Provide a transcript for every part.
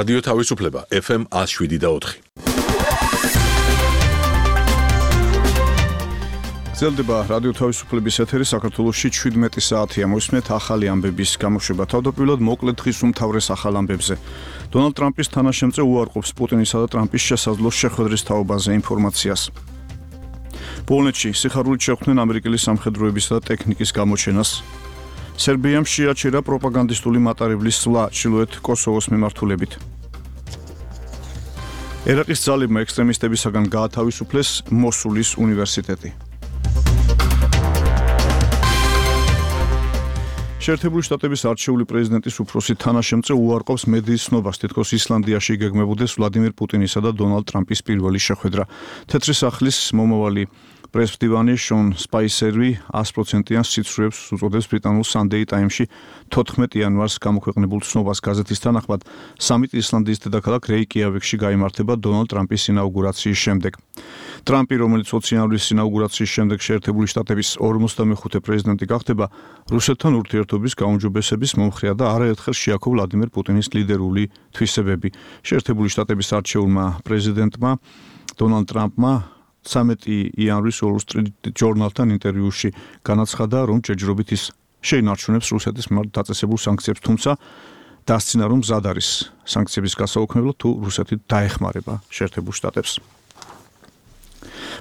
რადიო თავისუფლება FM 107.4. გრძელდება რადიო თავისუფლების ეთერი საქართველოში 17 საათია. მოისმენთ ახალი ამბების გამოშვება. თავდაპირველად მოკლედ დღის უმთავრეს ახალ ამბებზე. დონალდ ტრამპის თანაშემწე უარყოფს პუტინისა და ტრამპის შესაძლო შეხვედრის თაობაზე ინფორმაციას. პოლონეთში სიხარულით შეხვდნენ ამერიკელი სამხედროებისა და ტექნიკის გამოჩენას. სერბიამ შეაჩერა პროპაგანდისტული მატარებლის სვლა ჩრდილოეთ კოსოვოს მიმართულებით. ერაყის ძალებმა ექსტრემისტებისაგან გაათავისუფლეს მოსულის უნივერსიტეტი. შეერთებული შტატების არჩეული პრეზიდენტის უფროსი თანაშემწე უარყოფს მედიის ცნობას, თითქოს ისლანდიაში იგეგმებოდეს ვლადიმირ პუტინისა და დონალდ ტრამპის პირველი შეხვედრა. თეთრი სახლის მომავალი პრესმდივანი შონ სპაისერი 100%-იან სიცრუებს უწოდებს ბრიტანულ Sunday Times-ში 14 იანვარს გამოქვეყნებულ ცნობას. გაზეთის თანახმად სამიტი ისლანდიის დედაქალაქ რეიკიავიკში გაიმართება დონალდ ტრამპის ინაუგურაციის შემდეგ. ტრამპი, რომელიც 20 იანვრის ინაუგურაციის შემდეგ შეერთებული შტატების 45 პრეზიდენტი გახდება, რუსეთთან ურთიერთობის გაუმჯობესების მომხრეა და არაერთხელ შეაქო ვლადიმერ პუტინის ლიდერული თვისებები. შეერთებული შტატების არჩეულმა პრეზიდენტმა დონალდ ტრამპმა 13 იანვრის Wall Street Journal-თან ინტერვიუში განაცხადა, რომ ჯერჯერობით ის შეინარჩუნებს რუსეთის მიმართ დაწესებულ სანქციებს, თუმცა დასცინა, რომ მზად არის სანქციების გასაუქმებლად, თუ რუსეთი დაეხმარება შეერთებულ შტატებს.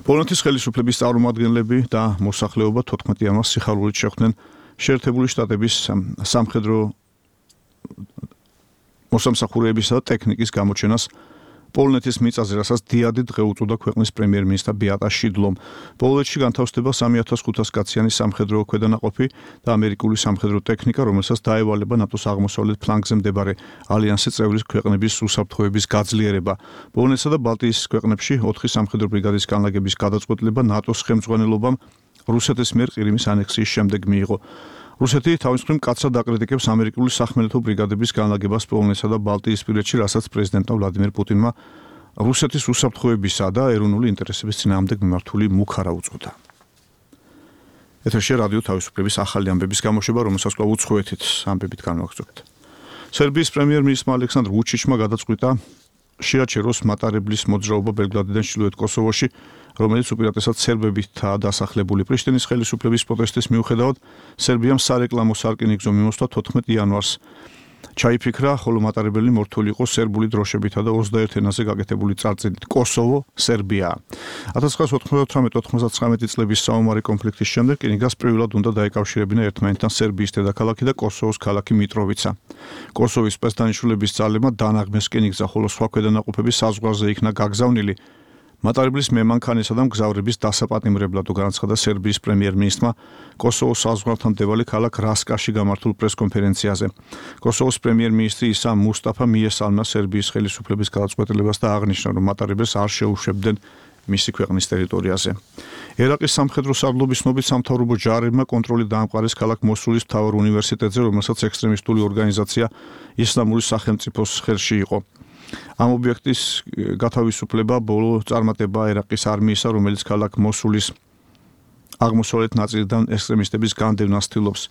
პოლონეთის ხელისუფლების წარმომადგენლები და მოსახლეობა 14 იანვარს სიხარულით შეხვდნენ შეერთებული შტატების სამხედრო მოსამსახურეებისა და ტექნიკის გამოჩენას პოლონეთის მიწაზე, რასაც დიადი დღე უწოდა ქვეყნის პრემიერ-მინისტრ ბეატა შიდლომ. პოლონეთში განთავსდება 3500 კაციანი სამხედრო ქვედანაყოფი და ამერიკული სამხედრო ტექნიკა, რომელსაც დაევალება ნატოს აღმოსავლეთ ფლანგზე მდებარე ალიანსის წევრი ქვეყნების უსაფრთხოების გაძლიერება. პოლონეთსა და ბალტიის ქვეყნებში 4 სამხედრო ბრიგადის განლაგების გადაწყვეტილება ნატოს ხელმძღვანელობამ რუსეთის მიერ ყირიმის ანექსიის შემდეგ მიიღო. რუსეთი თავის მხრივ მკაცრად აკრიტიკებს ამერიკული სახმელეთო ბრიგადების განლაგებას პოლონეთსა და ბალტიისპირეთში, რასაც პრეზიდენტმა ვლადიმირ პუტინმა რუსეთის უსაფრთხოებისა და ეროვნული ინტერესების წინააღმდეგ მიმართული მუქარა უწოდა. ეთერში რადიო თავისუფლების ახალი ამბების გამოშვება, რომელსაც კვლავ უცხოეთით ამბებით განვაგრძობთ. სერბიის პრემიერ-მინისტრმა ალექსანდრ ვუჩიჩმა გადაწყვიტა შეაჩეროს მატარებლის მოძრაობა ბელგრადიდან ჩრდილოეთ კოსოვოში, რომელიც უპირატესად სერბებითაა დასახლებული. პრიშტინის ხელისუფლების პროტესტის მიუხედავად, სერბიამ სარეკლამო სარკინიგზო მიმოსვლა 14 იანვარს ჩაიფიქრა, ხოლო მატარებელი მორთული იყო სერბული დროშებითა და 21 ენაზე გაკეთებული წარწერით კოსოვო, სერბია. 1998-99 წლების საომარი კონფლიქტის შემდეგ რკინიგზას პირველად უნდა დაეკავშირებინა ერთმანეთთან სერბიის დედაქალაქი და კოსოვოს ქალაქი მიტროვიცა. კოსოვოს სპეცდანიშნულების ძალებმა დაანაღმეს რკინიგზა, ხოლო სხვა ქვედანაყოფები საზღვარზე იქნა გაგზავნილი. მატარებლის მემანქანისა და მგზავრების დასაპატიმრებლად განაცხადა სერბიის პრემიერ-მინისტრმა კოსოვოს საზღვართან მდებარე ქალაქ რასკაში გამართულ პრესკონფერენციაზე. კოსოვოს პრემიერ-მინისტრი ისა მუსტაფა მიესალმა სერბიის ხელისუფლების გადაწყვეტილებას და აღნიშნა, რომ მატარებელს არ შეუშვებდნენ მისი ქვეყნის ტერიტორიაზე. ერაყის სამხედრო სარდლობის ცნობით სამთავრობო ჯარებმა კონტროლი დაამყარეს ქალაქ მოსულის მთავარ უნივერსიტეტზე, რომელსაც ექსტრემისტული ორგანიზაცია ისლამური სახელმწიფოს ხელში იყო. ამ ობიექტის გათავისუფლება ბოლო წარმატება ერაყის არმიისა, რომელიც ქალაქ მოსულის აღმოსავლეთ ნაწილიდან ექსტრემისტების განდევნას ცდილობს.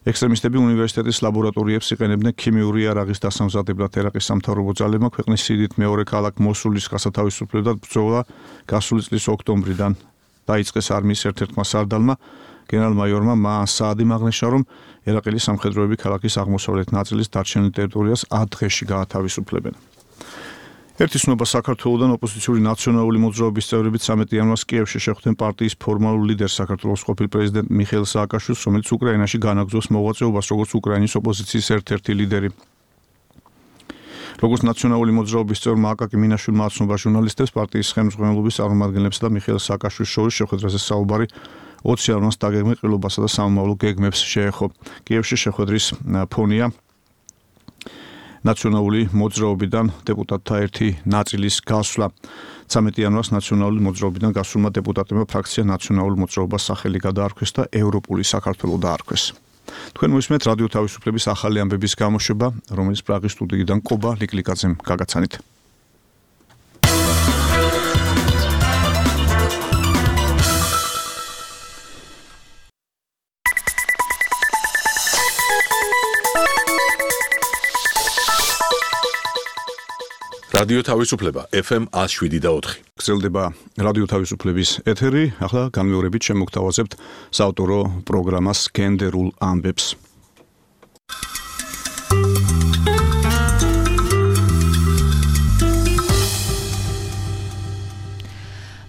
ექსტრემისტები უნივერსიტეტის ლაბორატორიებს იყენებდნენ ქიმიური იარაღის დასამზადებლად. ერაყის სამთავრობო ძალებმა ქვეყნის სიდიდით მეორე ქალაქ მოსულის გასათავისუფლებლად ბრძოლა გასული წლის ოქტომბრიდან დაიწყეს არმიის ერთ-ერთმა სარდალმა, გენერალ-მაიორმა საადიმ აღნიშნა, რომ ერაყელი სამხედროები ქალაქის აღმოსავლეთ ნაწილის დარჩენილ ტერიტორიას 10 დღეში გაათავისუფლებენ. ერთი ცნობა საქართველოდან ოპოზიციური ნაციონალური მოძრაობის წევრები 13 იანვარს კიევში შეხვდნენ პარტიის ფორმალურ ლიდერს საქართველოს ყოფილ პრეზიდენტ მიხეილ სააკაშვილს, რომელიც უკრაინაში განაგრძობს მოღვაწეობას როგორც უკრაინის ოპოზიციის ერთ-ერთი ლიდერი. როგორც ნაციონალური მოძრაობის წევრმა აკაკი მინაშვილმა აცნობა ჟურნალისტებს, პარტიის ხელმძღვანელობის წარმომადგენლებსა და მიხეილ სააკაშვილის შორის შეხვედრაზე საუბარი 20 იანვარს დაგეგმილ ყრილობასა და სამომავლო გეგმებს შეეხო. კიევში შეხვედრის ფონია ნაციონალური მოძრაობიდან დეპუტატთა ერთი ნაწილის გასვლა. 13 იანვარს ნაციონალური მოძრაობიდან გასულმა დეპუტატებმა ფრაქცია ნაციონალურ მოძრაობას სახელი გადაარქვეს და ევროპული საქართველო დაარქვეს. თქვენ მოისმენთ რადიო თავისუფლების ახალი ამბების გამოშვება, რომელიც პრაღის სტუდიიდან კობა ლიკლიკაძემ გაგაცანით. რადიო თავისუფლება FM 107.4. გრძელდება რადიო თავისუფლების ეთერი. ახლა განმეორებით შემოგთავაზებთ საავტორო პროგრამას გენდერულ ამბებს.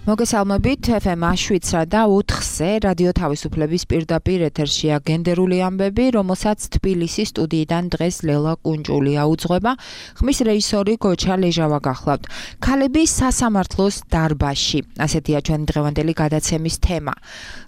მოგესალმებით FM 107.4-ზე რადიო თავისუფლების პირდაპირ ეთერშია გენდერული ამბები, რომელსაც თბილისის სტუდიიდან დღეს ლელა კუნჭულია უძღვება. ხმის რეჟისორი გოჩა ლეჟავა გახლავთ. ქალები სასამართლოს დარბაზში. ასეთია ჩვენი დღევანდელი გადაცემის თემა.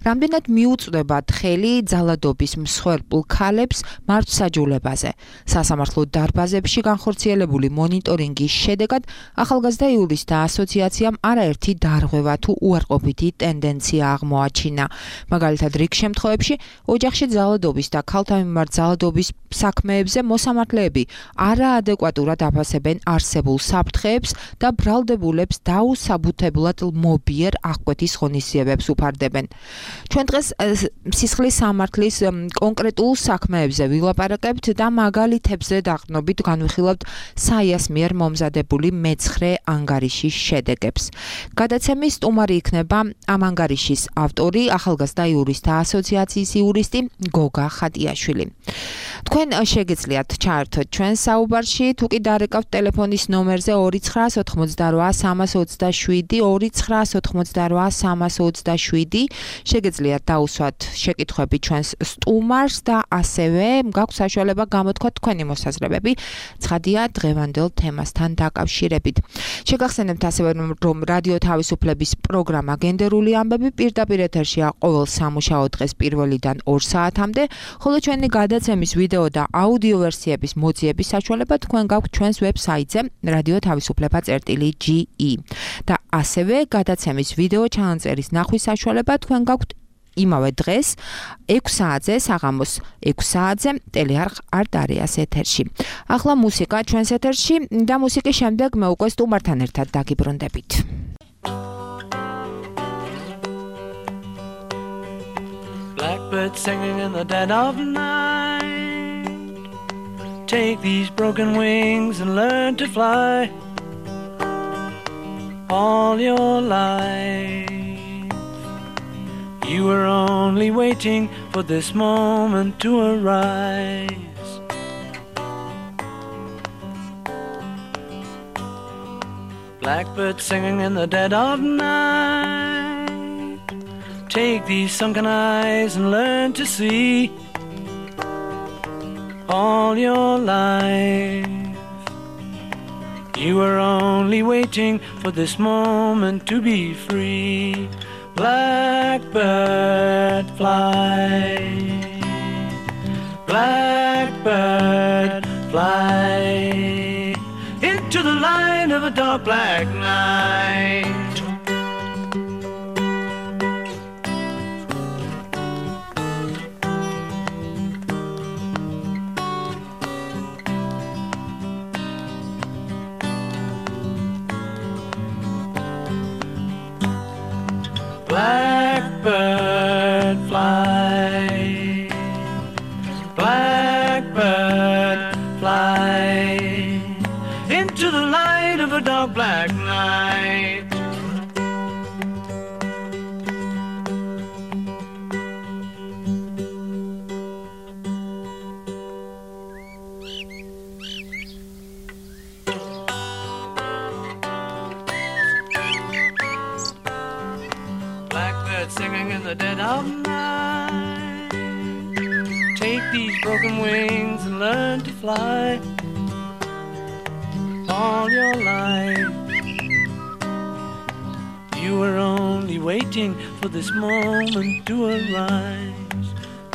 რამდენად მიუწვდებათ ხელი ძალადობის მსხვერპლ ქალებს მართლმსაჯულებაზე. სასამართლო დარბაზებში განხორციელებული მონიტორინგის შედეგად ახალგაზრდა იურისტთა ასოციაციამ არაერთი დარღვევა თუ უარყოფითი ტენდენცია აღმოაჩინა. მაგალითად, რიგ შემთხვევებში ოჯახში ძალადობის და ქალთა მიმართ ძალადობის საქმეებზე მოსამართლეები არაადეკვატურად აფასებენ არსებულ საფრთხეებს და ბრალდებულებს დაუსაბუთებლად მობიერ აღკვეთის ღონისძიებებს უფარდებენ. ჩვენ დღეს სისხლის სამართლის კონკრეტულ საქმეებზე ვილაპარაკებთ და მაგალითებზე დაყრდნობით განვიხილავთ საიას მიერ მომზადებული მეცხრე ანგარიშის შედეგებს. გადაცემის სტუმარი იქნება ამ ანგარიშის ავტორი, ახალგაზრდა იურისტთა ასოციაციის იურისტი გოგა ხატიაშვილი. თქვენ შეგეძლიათ ჩაერთოთ ჩვენ საუბარში, თუ კი დარეკავთ ტელეფონის ნომერზე 2998327 2998327 შეგეძლიათ დაუსვათ შეკითხვები ჩვენს სტუმარს და ასევე გაქვთ საშუალება გამოთქვათ თქვენი მოსაზრებები ცხადია დღევანდელ თემასთან დაკავშირებით. შეგახსენებთ ასევე რომ რადიო თავისუფლების პროგრამა გენდერული ამბები პირდაპირ ეთერშია ყოველ სამუშაო დღეს 1-დან 2 საათამდე, ხოლო ჩვენი გადაცემის ვიდეო და აუდიო ვერსიების მოძიების საშუალება თქვენ გაქვთ ჩვენს ვებსაიტზე radio-თავისუფლება.ge და ასევე გადაცემის ვიდეო ჩანაწერის ნახვის საშუალება თქვენ გაქვთ იმავე დღეს 6 საათზე საღამოს 6 საათზე ტელეარხ არტ-არეას ეთერში. ახლა მუსიკა ჩვენს ეთერში და მუსიკის შემდეგ მე უკვე სტუმართან ერთად დაგიბრუნდებით. Blackbird singing in the dead of night. Take these broken wings and learn to fly. All your life you were only waiting for this moment to arise. Blackbird singing in the dead of night. Take these sunken eyes and learn to see. All your life you were only waiting for this moment to be free. Blackbird fly, blackbird fly into the light of a dark black night. Blackbird fly, blackbird fly into the light of a dark black night. Singing in the dead of night. Take these broken wings and learn to fly. All your life you were only waiting for this moment to arise.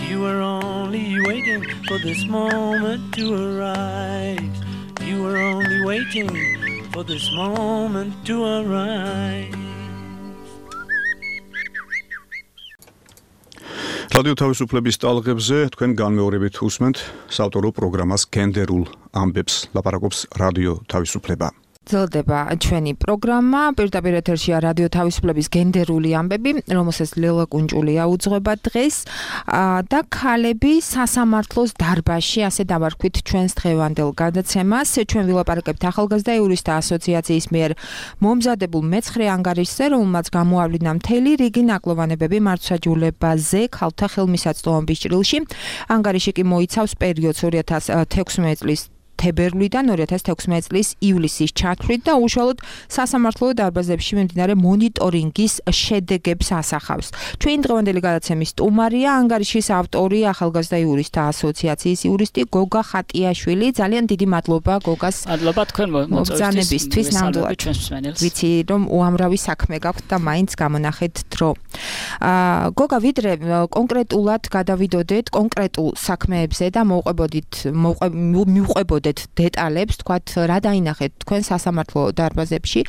You were only waiting for this moment to arise. You were only waiting for this moment to arise. რადიო თავისუფლების ტალღებზე თქვენ განმეორებით უსმენთ საავტორო პროგრამას გენდერულ ამბებს. ლაპარაკობს რადიო თავისუფლება. ძლდება ჩვენი პროგრამა პირდაპირ ეთერშია რადიო თავისუფლების გენდერული ამბები, რომელსაც ლელა კუნჭულია უძღვება დღეს და ქალები სასამართლოს დარბაზში, ასე დავარქვით ჩვენს დღევანდელ გადაცემას. ჩვენ ვილაპარაკებთ ახალგაზრდა იურისტთა ასოციაციის მიერ მომზადებულ მეცხრე ანგარიშზე, რომელმაც გამოავლინა მთელი რიგი ნაკლოვანებები მართლმსაჯულებაზე ქალთა ხელმისაწვდომობის ჭრილში. ანგარიში კი მოიცავს პერიოდს 2016 წლის თებერვლიდან 2016 წლის ივლისის ჩათვლით და უშუალოდ სასამართლო დარბაზებში მიმდინარე მონიტორინგის შედეგებს ასახავს. ჩვენი დღევანდელი გადაცემის სტუმარია ანგარიშის ავტორი ახალგაზრდა იურისტთა ასოციაციის იურისტი გოგა ხატიაშვილი. ძალიან დიდი მადლობა გოგას. მადლობა თქვენ მოგზაურობისთვის ნამდვილად. ვიცი რომ უამრავი საქმე გაქვთ და მაინც გამონახეთ დრო. გოგა ვიდრე კონკრეტულად გადავიდოდეთ კონკრეტულ საქმეებზე და მივყვებოდეთ დეტალებს, თქვათ, რა დაინახეთ თქვენ სასამართლო დარბაზებში,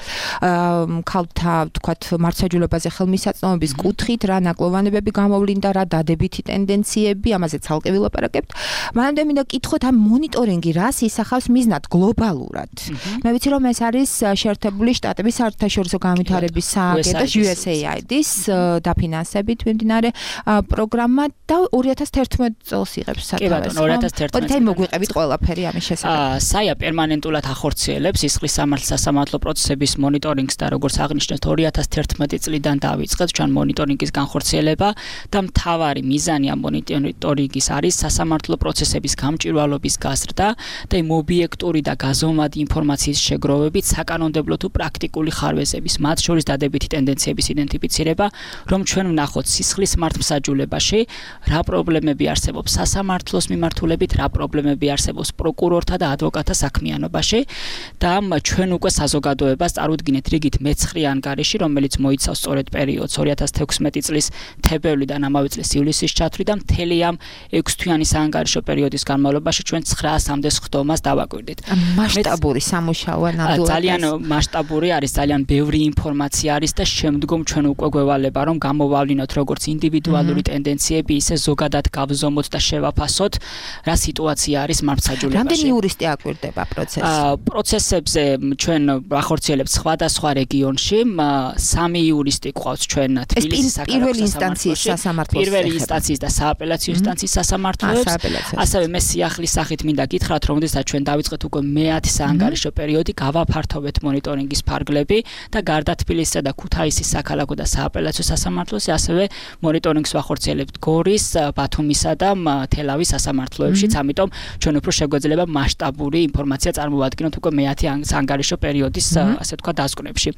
ქალთა, თქვათ, მართლმსაჯულებაზე ხელმისაწვდომობის კუთხით, რა ნაკლოვანებები გამოვლინდა, რა დადებითი ტენდენციები, ამაზე ცალკე ვილაპარაკებთ. მანამდე მინდა კითხოთ, ამ მონიტორინგი რას ისახავს მიზნად გლობალურად. მე ვიცი, რომ ეს არის შეერთებული შტატების საერთაშორისო განვითარების სააგენტოს USAID-ის დაფინანსებით მიმდინარე პროგრამა და 2011 წელს იღებს სათავეს. 2011 წელს მოგვიყევით ყველაფერი ამის შესახებ. საია პერმანენტულად ახორციელებს სისხლის სამართლ-სასამართლო პროცესების მონიტორინგს და როგორც აღნიშნეთ 2011 წლიდან დაიწყეთ ჩვენ მონიტორინგის განხორციელება და მთავარი მიზანი ამ მონიტორინგის არის სასამართლო პროცესების გამჭვირვალობის გაზრდა და იმ ობიექტური და გაზომადი ინფორმაციის შეგროვებით საკანონმდებლო თუ პრაქტიკული ხარვეზების, მათ შორის დადებითი ტენდენციების იდენტიფიცირება, რომ ჩვენ ვნახოთ სისხლის მართლმსაჯულებაში რა პრობლემები არსებობს სასამართლოს მიმართულებით, რა პრობლემები არსებობს პროკურორთა და ადვოკატთა საქმიანობაში და ჩვენ უკვე საზოგადოებას წარუდგინეთ რიგით მეცხრე ანგარიში, რომელიც მოიცავს სწორედ პერიოდს 2016 წლის თებერვლიდან ამავე წლის ივლისის ჩათვლით და მთელი ამ 6 თვიანი საანგარიშო პერიოდის განმავლობაში ჩვენ 900-მდე სხდომას დავაკვირდით. მასშტაბური სამუშაოა ნამდვილად. ძალიან მასშტაბური არის, ძალიან ბევრი ინფორმაცია არის და შემდგომ ჩვენ უკვე გვევალება რომ გამოვავლინოთ როგორც ინდივიდუალური ტენდენციები, ისე ზოგადად გავზომოთ და შევაფასოთ რა სიტუაცია არის მართლმსაჯულებაში. რამდენი იურისტი აკვირდება პროცესს? პროცესებზე ჩვენ ახორციელებთ სხვადასხვა რეგიონში, 3 იურისტი გვყავს ჩვენ თბილისის პირველი ინსტანციის სასამართლოს. პირველი ინსტანციის და სააპელაციო ინსტანციის სასამართლოებს. ასევე მე სიახლის სახით მინდა გითხრათ, რომ როდესაც ჩვენ დავიწყეთ უკვე მე-10 საანგარიშო პერიოდი, გავაფართოვეთ მონიტორინგის ფარგლები და გარდა თბილისისა და ქუთაისის საქალაქო და სააპელაციო სასამართლოს, ასევე მონიტორინგს ვახორციელებთ გორის, ბათუმისა და თელავის სასამართლოებშიც, ამიტომ ჩვენ უფრო შეგვეძლება მასშტაბური ინფორმაცია წარმოვადგინოთ უკვე მე-10 საანგარიშო პერიოდის, ასე თქვა, დასკვნებში.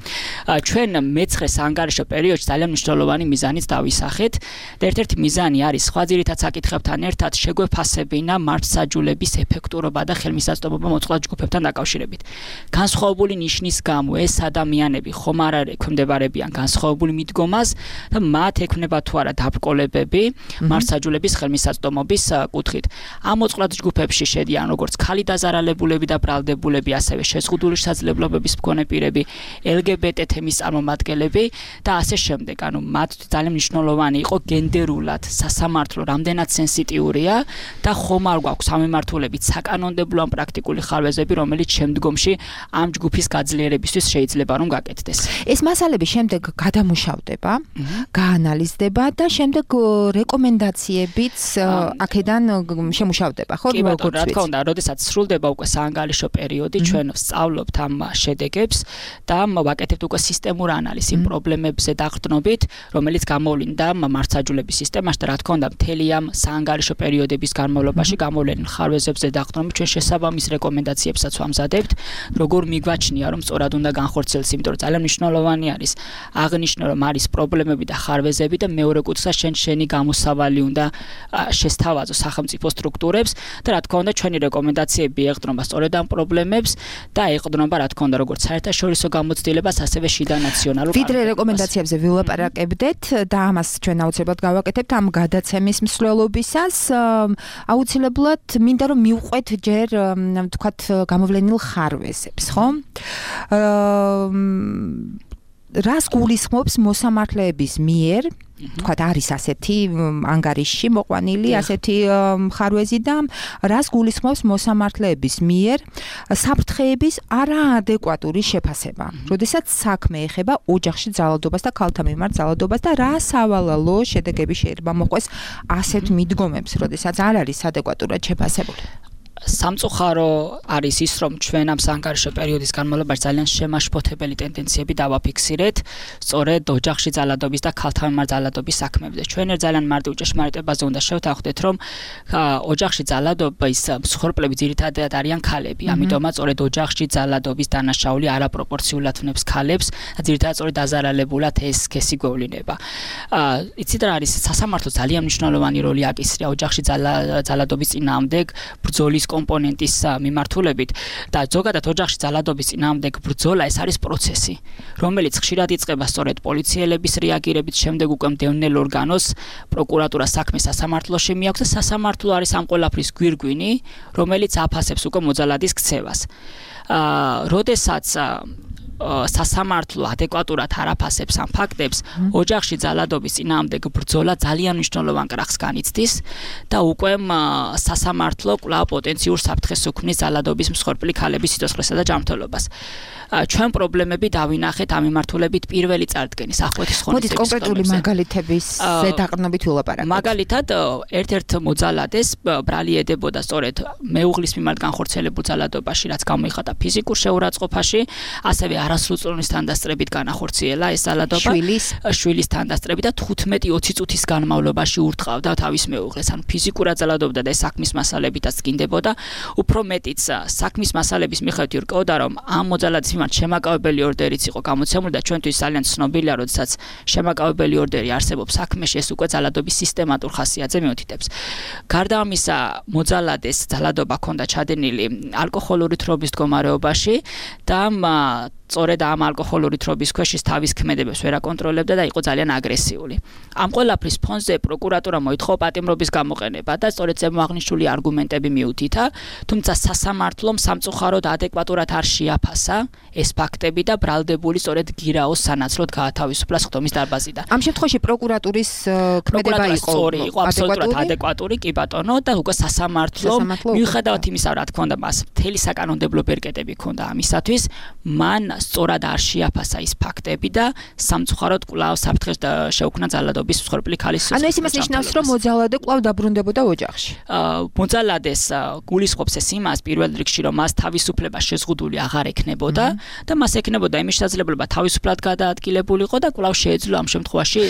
ჩვენ მე-9 საანგარიშო პერიოდში ძალიან მნიშვნელოვანი მიზანიც დავისახეთ და ერთ-ერთი მიზანი არის სხვა ძირითად საკითხებთან ერთად შეგვეფასებინა მართლმსაჯულების ეფექტურობა და ხელმისაწვდომობა მოწყვლად ჯგუფებთან დაკავშირებით. განსხვავებული ნიშნის გამო ეს ადამიანები ხომ არ ექვემდებარებიან განსხვავებული მიდგომას და მათ ექნება თუ არა დაბრკოლებები მართლმსაჯულების ხელმისაწვდომობის კუთხით. ამ მოწყვლად ჯგუფებში შედიან როგორც ქალი დაზარალებულები და ბრალდებულები, ასევე შეზღუდული შესაძლებლობების მქონე პირები, LGBT თემის წარმომადგენლები და ასე შემდეგ. ანუ მათ ძალიან მნიშვნელოვანი იყო გენდერულად სასამართლო რამდენად სენსიტიურია და ხომ არ გვაქვს სამემართულებით საკანონმდებლო ან პრაქტიკული ხარვეზები, რომელიც შემდგომში ამ ჯგუფის გაძლიერებისთვის შეიძლება რომ გაკეთდეს. ეს მასალები შემდეგ გადამუშავდება, გაანალიზდება და შემდეგ რეკომენდაციებიც აქედან შემუშავდება, ხო? რა თქმა უნდა, როდესაც სრულდება უკვე საანგარიშო პერიოდი, ჩვენ ვსწავლობთ ამ შედეგებს და ვაკეთებთ უკვე სისტემურ ანალიზს იმ პრობლემებზე დაყრდნობით, რომელიც გამოვლინდა მართლმსაჯულების სისტემაში და რა თქმა უნდა, მთელი ამ საანგარიშო პერიოდების განმავლობაში გამოვლენილ ხარვეზებზე დაყრდნობით ჩვენ შესაბამის რეკომენდაციებსაც ვამზადებთ, როგორ მიგვაჩნია რომ სწორად უნდა განხორციელდეს, იმიტომ რომ ძალიან მნიშვნელოვანი არის აღნიშნო რომ არის პრობლემები და ხარვეზები და მეორე კუთხე შენი გამოსავალი უნდა შესთავაზო სახელმწიფო სტრუქტურებს და რა თქმა უნდა ჩვენი რეკომენდაციები ეყრდნობა სწორედ ამ პრობლემებს და ეყრდნობა რა თქმა უნდა როგორც საერთაშორისო გამოცდილებას, ასევე შიდა ნაციონალურ ვიდრე რეკომენდაციებზე ვილაპარაკებდეთ და ამას ჩვენ აუცილებლად გავაკეთებთ ამ გადაცემის მსვლელობისას, აუცილებლად მინდა რომ მივყვეთ ჯერ თქვათ გამოვლენილ ხარვეზებს, ხო? რას გულისხმობს მოსამართლეების მიერ თქვათ არის ასეთი ანგარიში მოყვანილი ასეთი მხარვეზი და რას გულისხმობს მოსამართლეების მიერ საფრთხეების არაადეკვატური შეფასება. როდესაც საქმე ეხება ოჯახში ძალადობას და ქალთა მიმართ ძალადობას და რა სავალალო შედეგები შეიძლება მოყვეს ასეთ მიდგომებს, როდესაც არ არის ადეკვატურად შეფასებული. სამწუხარო არის ის, რომ ჩვენ ამ საანგარიშო პერიოდის განმავლობაში ძალიან შემაშფოთებელი ტენდენციები დავაფიქსირეთ, სწორედ ოჯახში ძალადობის და ქალთა მიმართ ძალადობის საქმეებზე. ჩვენ ძალიან მარტივ ჭეშმარიტებაზე უნდა შევთანხმდეთ, რომ ოჯახში ძალადობის მსხვერპლები ძირითადად არიან ქალები. ამიტომაც სწორედ ოჯახში ძალადობის დანაშაული არაპროპორციულად ვნებს ქალებს და ძირითადად სწორედ დაზარალებულად ეს სქესი გვევლინება. იცით რა არის სასამართლო ძალიან მნიშვნელოვანი როლი აკისრია ოჯახში ძალადობის წინააღმდეგ ბრძოლის კომპონენტის მიმართულებით და ზოგადად ოჯახში ძალადობის წინააღმდეგ ბრძოლა ეს არის პროცესი, რომელიც ხშირად იწყება სწორედ პოლიციელების რეაგირებით, შემდეგ უკვე მდევნელ ორგანოს პროკურატურას საქმე სასამართლოში მიაქვს და სასამართლო არის ამ ყველაფრის გვირგვინი, რომელიც აფასებს უკვე მოძალადის ქცევას. როდესაც სასამართლო ადეკვატურად არ აფასებს ამ ფაქტებს, ოჯახში ძალადობის წინააღმდეგ ბრძოლა ძალიან მნიშვნელოვან კრახს განიცდის და უკვე სასამართლო კვლავ პოტენციურ საფრთხეს უქმნის ძალადობის მსხვერპლი ქალების სიცოცხლესა და ჯანმრთელობას. ჩვენ პრობლემები დავინახეთ ამ მიმართულებით პირველი წარდგენის ახალეთის მოდით ღონისძიების კონკრეტული მაგალითების ზედაყრდნობით ვილაპარაკოთ. მაგალითად, ერთ-ერთ მოძალადეს ბრალი ედებოდა სწორედ მეუღლის მიმართ განხორციელებულ ძალადობაში, რაც გამოიხატა ფიზიკურ შეურაცხყოფაში, ასევე არასრულწლოვნის თანდასწრებით განახორციელა ეს ძალადობა, შვილის თანდასწრებით და 15-20 წუთის განმავლობაში ურტყავდა თავის მეუღლეს. ანუ ფიზიკურად ძალადობდა და ეს საქმის მასალებითაც წკინდებოდა. უფრო მეტიც, საქმის მასალების მიხედვით ირკვეოდა, რომ ამ მოძალადის მიმართ შემაკავებელი ორდერიც იყო გამოცემული და ჩვენთვის ძალიან ცნობილია, როდესაც შემაკავებელი ორდერი არსებობს საქმეში, ეს უკვე ძალადობის სისტემატურ ხასიათზე მიუთითებს. გარდა ამისა, მოძალადეს ძალადობა ჰქონდა ჩადენილი ალკოჰოლური თრობის მდგომარეობაში და სწორედ ამ ალკოჰოლური თრობის ქვეშ ის თავის ქმედებებს ვერ აკონტროლებდა და იყო ძალიან აგრესიული. ამ ყველაფრის ფონზე პროკურატურა მოითხოვა პატიმრობის გამოყენება და სწორედ ზემოაღნიშნული არგუმენტები მიუთითა, თუმცა სასამართლომ სამწუხაროდ ადეკვატურად არ შეაფასა ეს ფაქტები და ბრალდებული სწორედ გირაოს სანაცვლოდ გაათავისუფლა სხდომის დარბაზიდან. ამ შემთხვევაში პროკურატურის ქმედება იყო აბსოლუტურად ადეკვატური, კი ბატონო, და უკვე სასამართლომ მიუხედავად იმისა, რა თქმა უნდა, მას მთელი საკანონმდებლო ბერკეტები ჰქონდა ამისათვის, მან სწორად არ შეაფასა ის ფაქტები და სამწუხაროდ კვლავ საფრთხეს შეუქმნა ძალადობის მსხვერპლი ქალის სიცოცხლეს. ანუ ეს იმას ნიშნავს, რომ მოძალადე კვლავ დაბრუნდებოდა ოჯახში. მოძალადეს გულისხმობს ეს იმას პირველ რიგში, რომ მას თავისუფლება შეზღუდული აღარ ექნებოდა და მას ექნებოდა იმის შესაძლებლობა თავისუფლად გადაადგილებულიყო და კვლავ შეეძლო ამ შემთხვევაში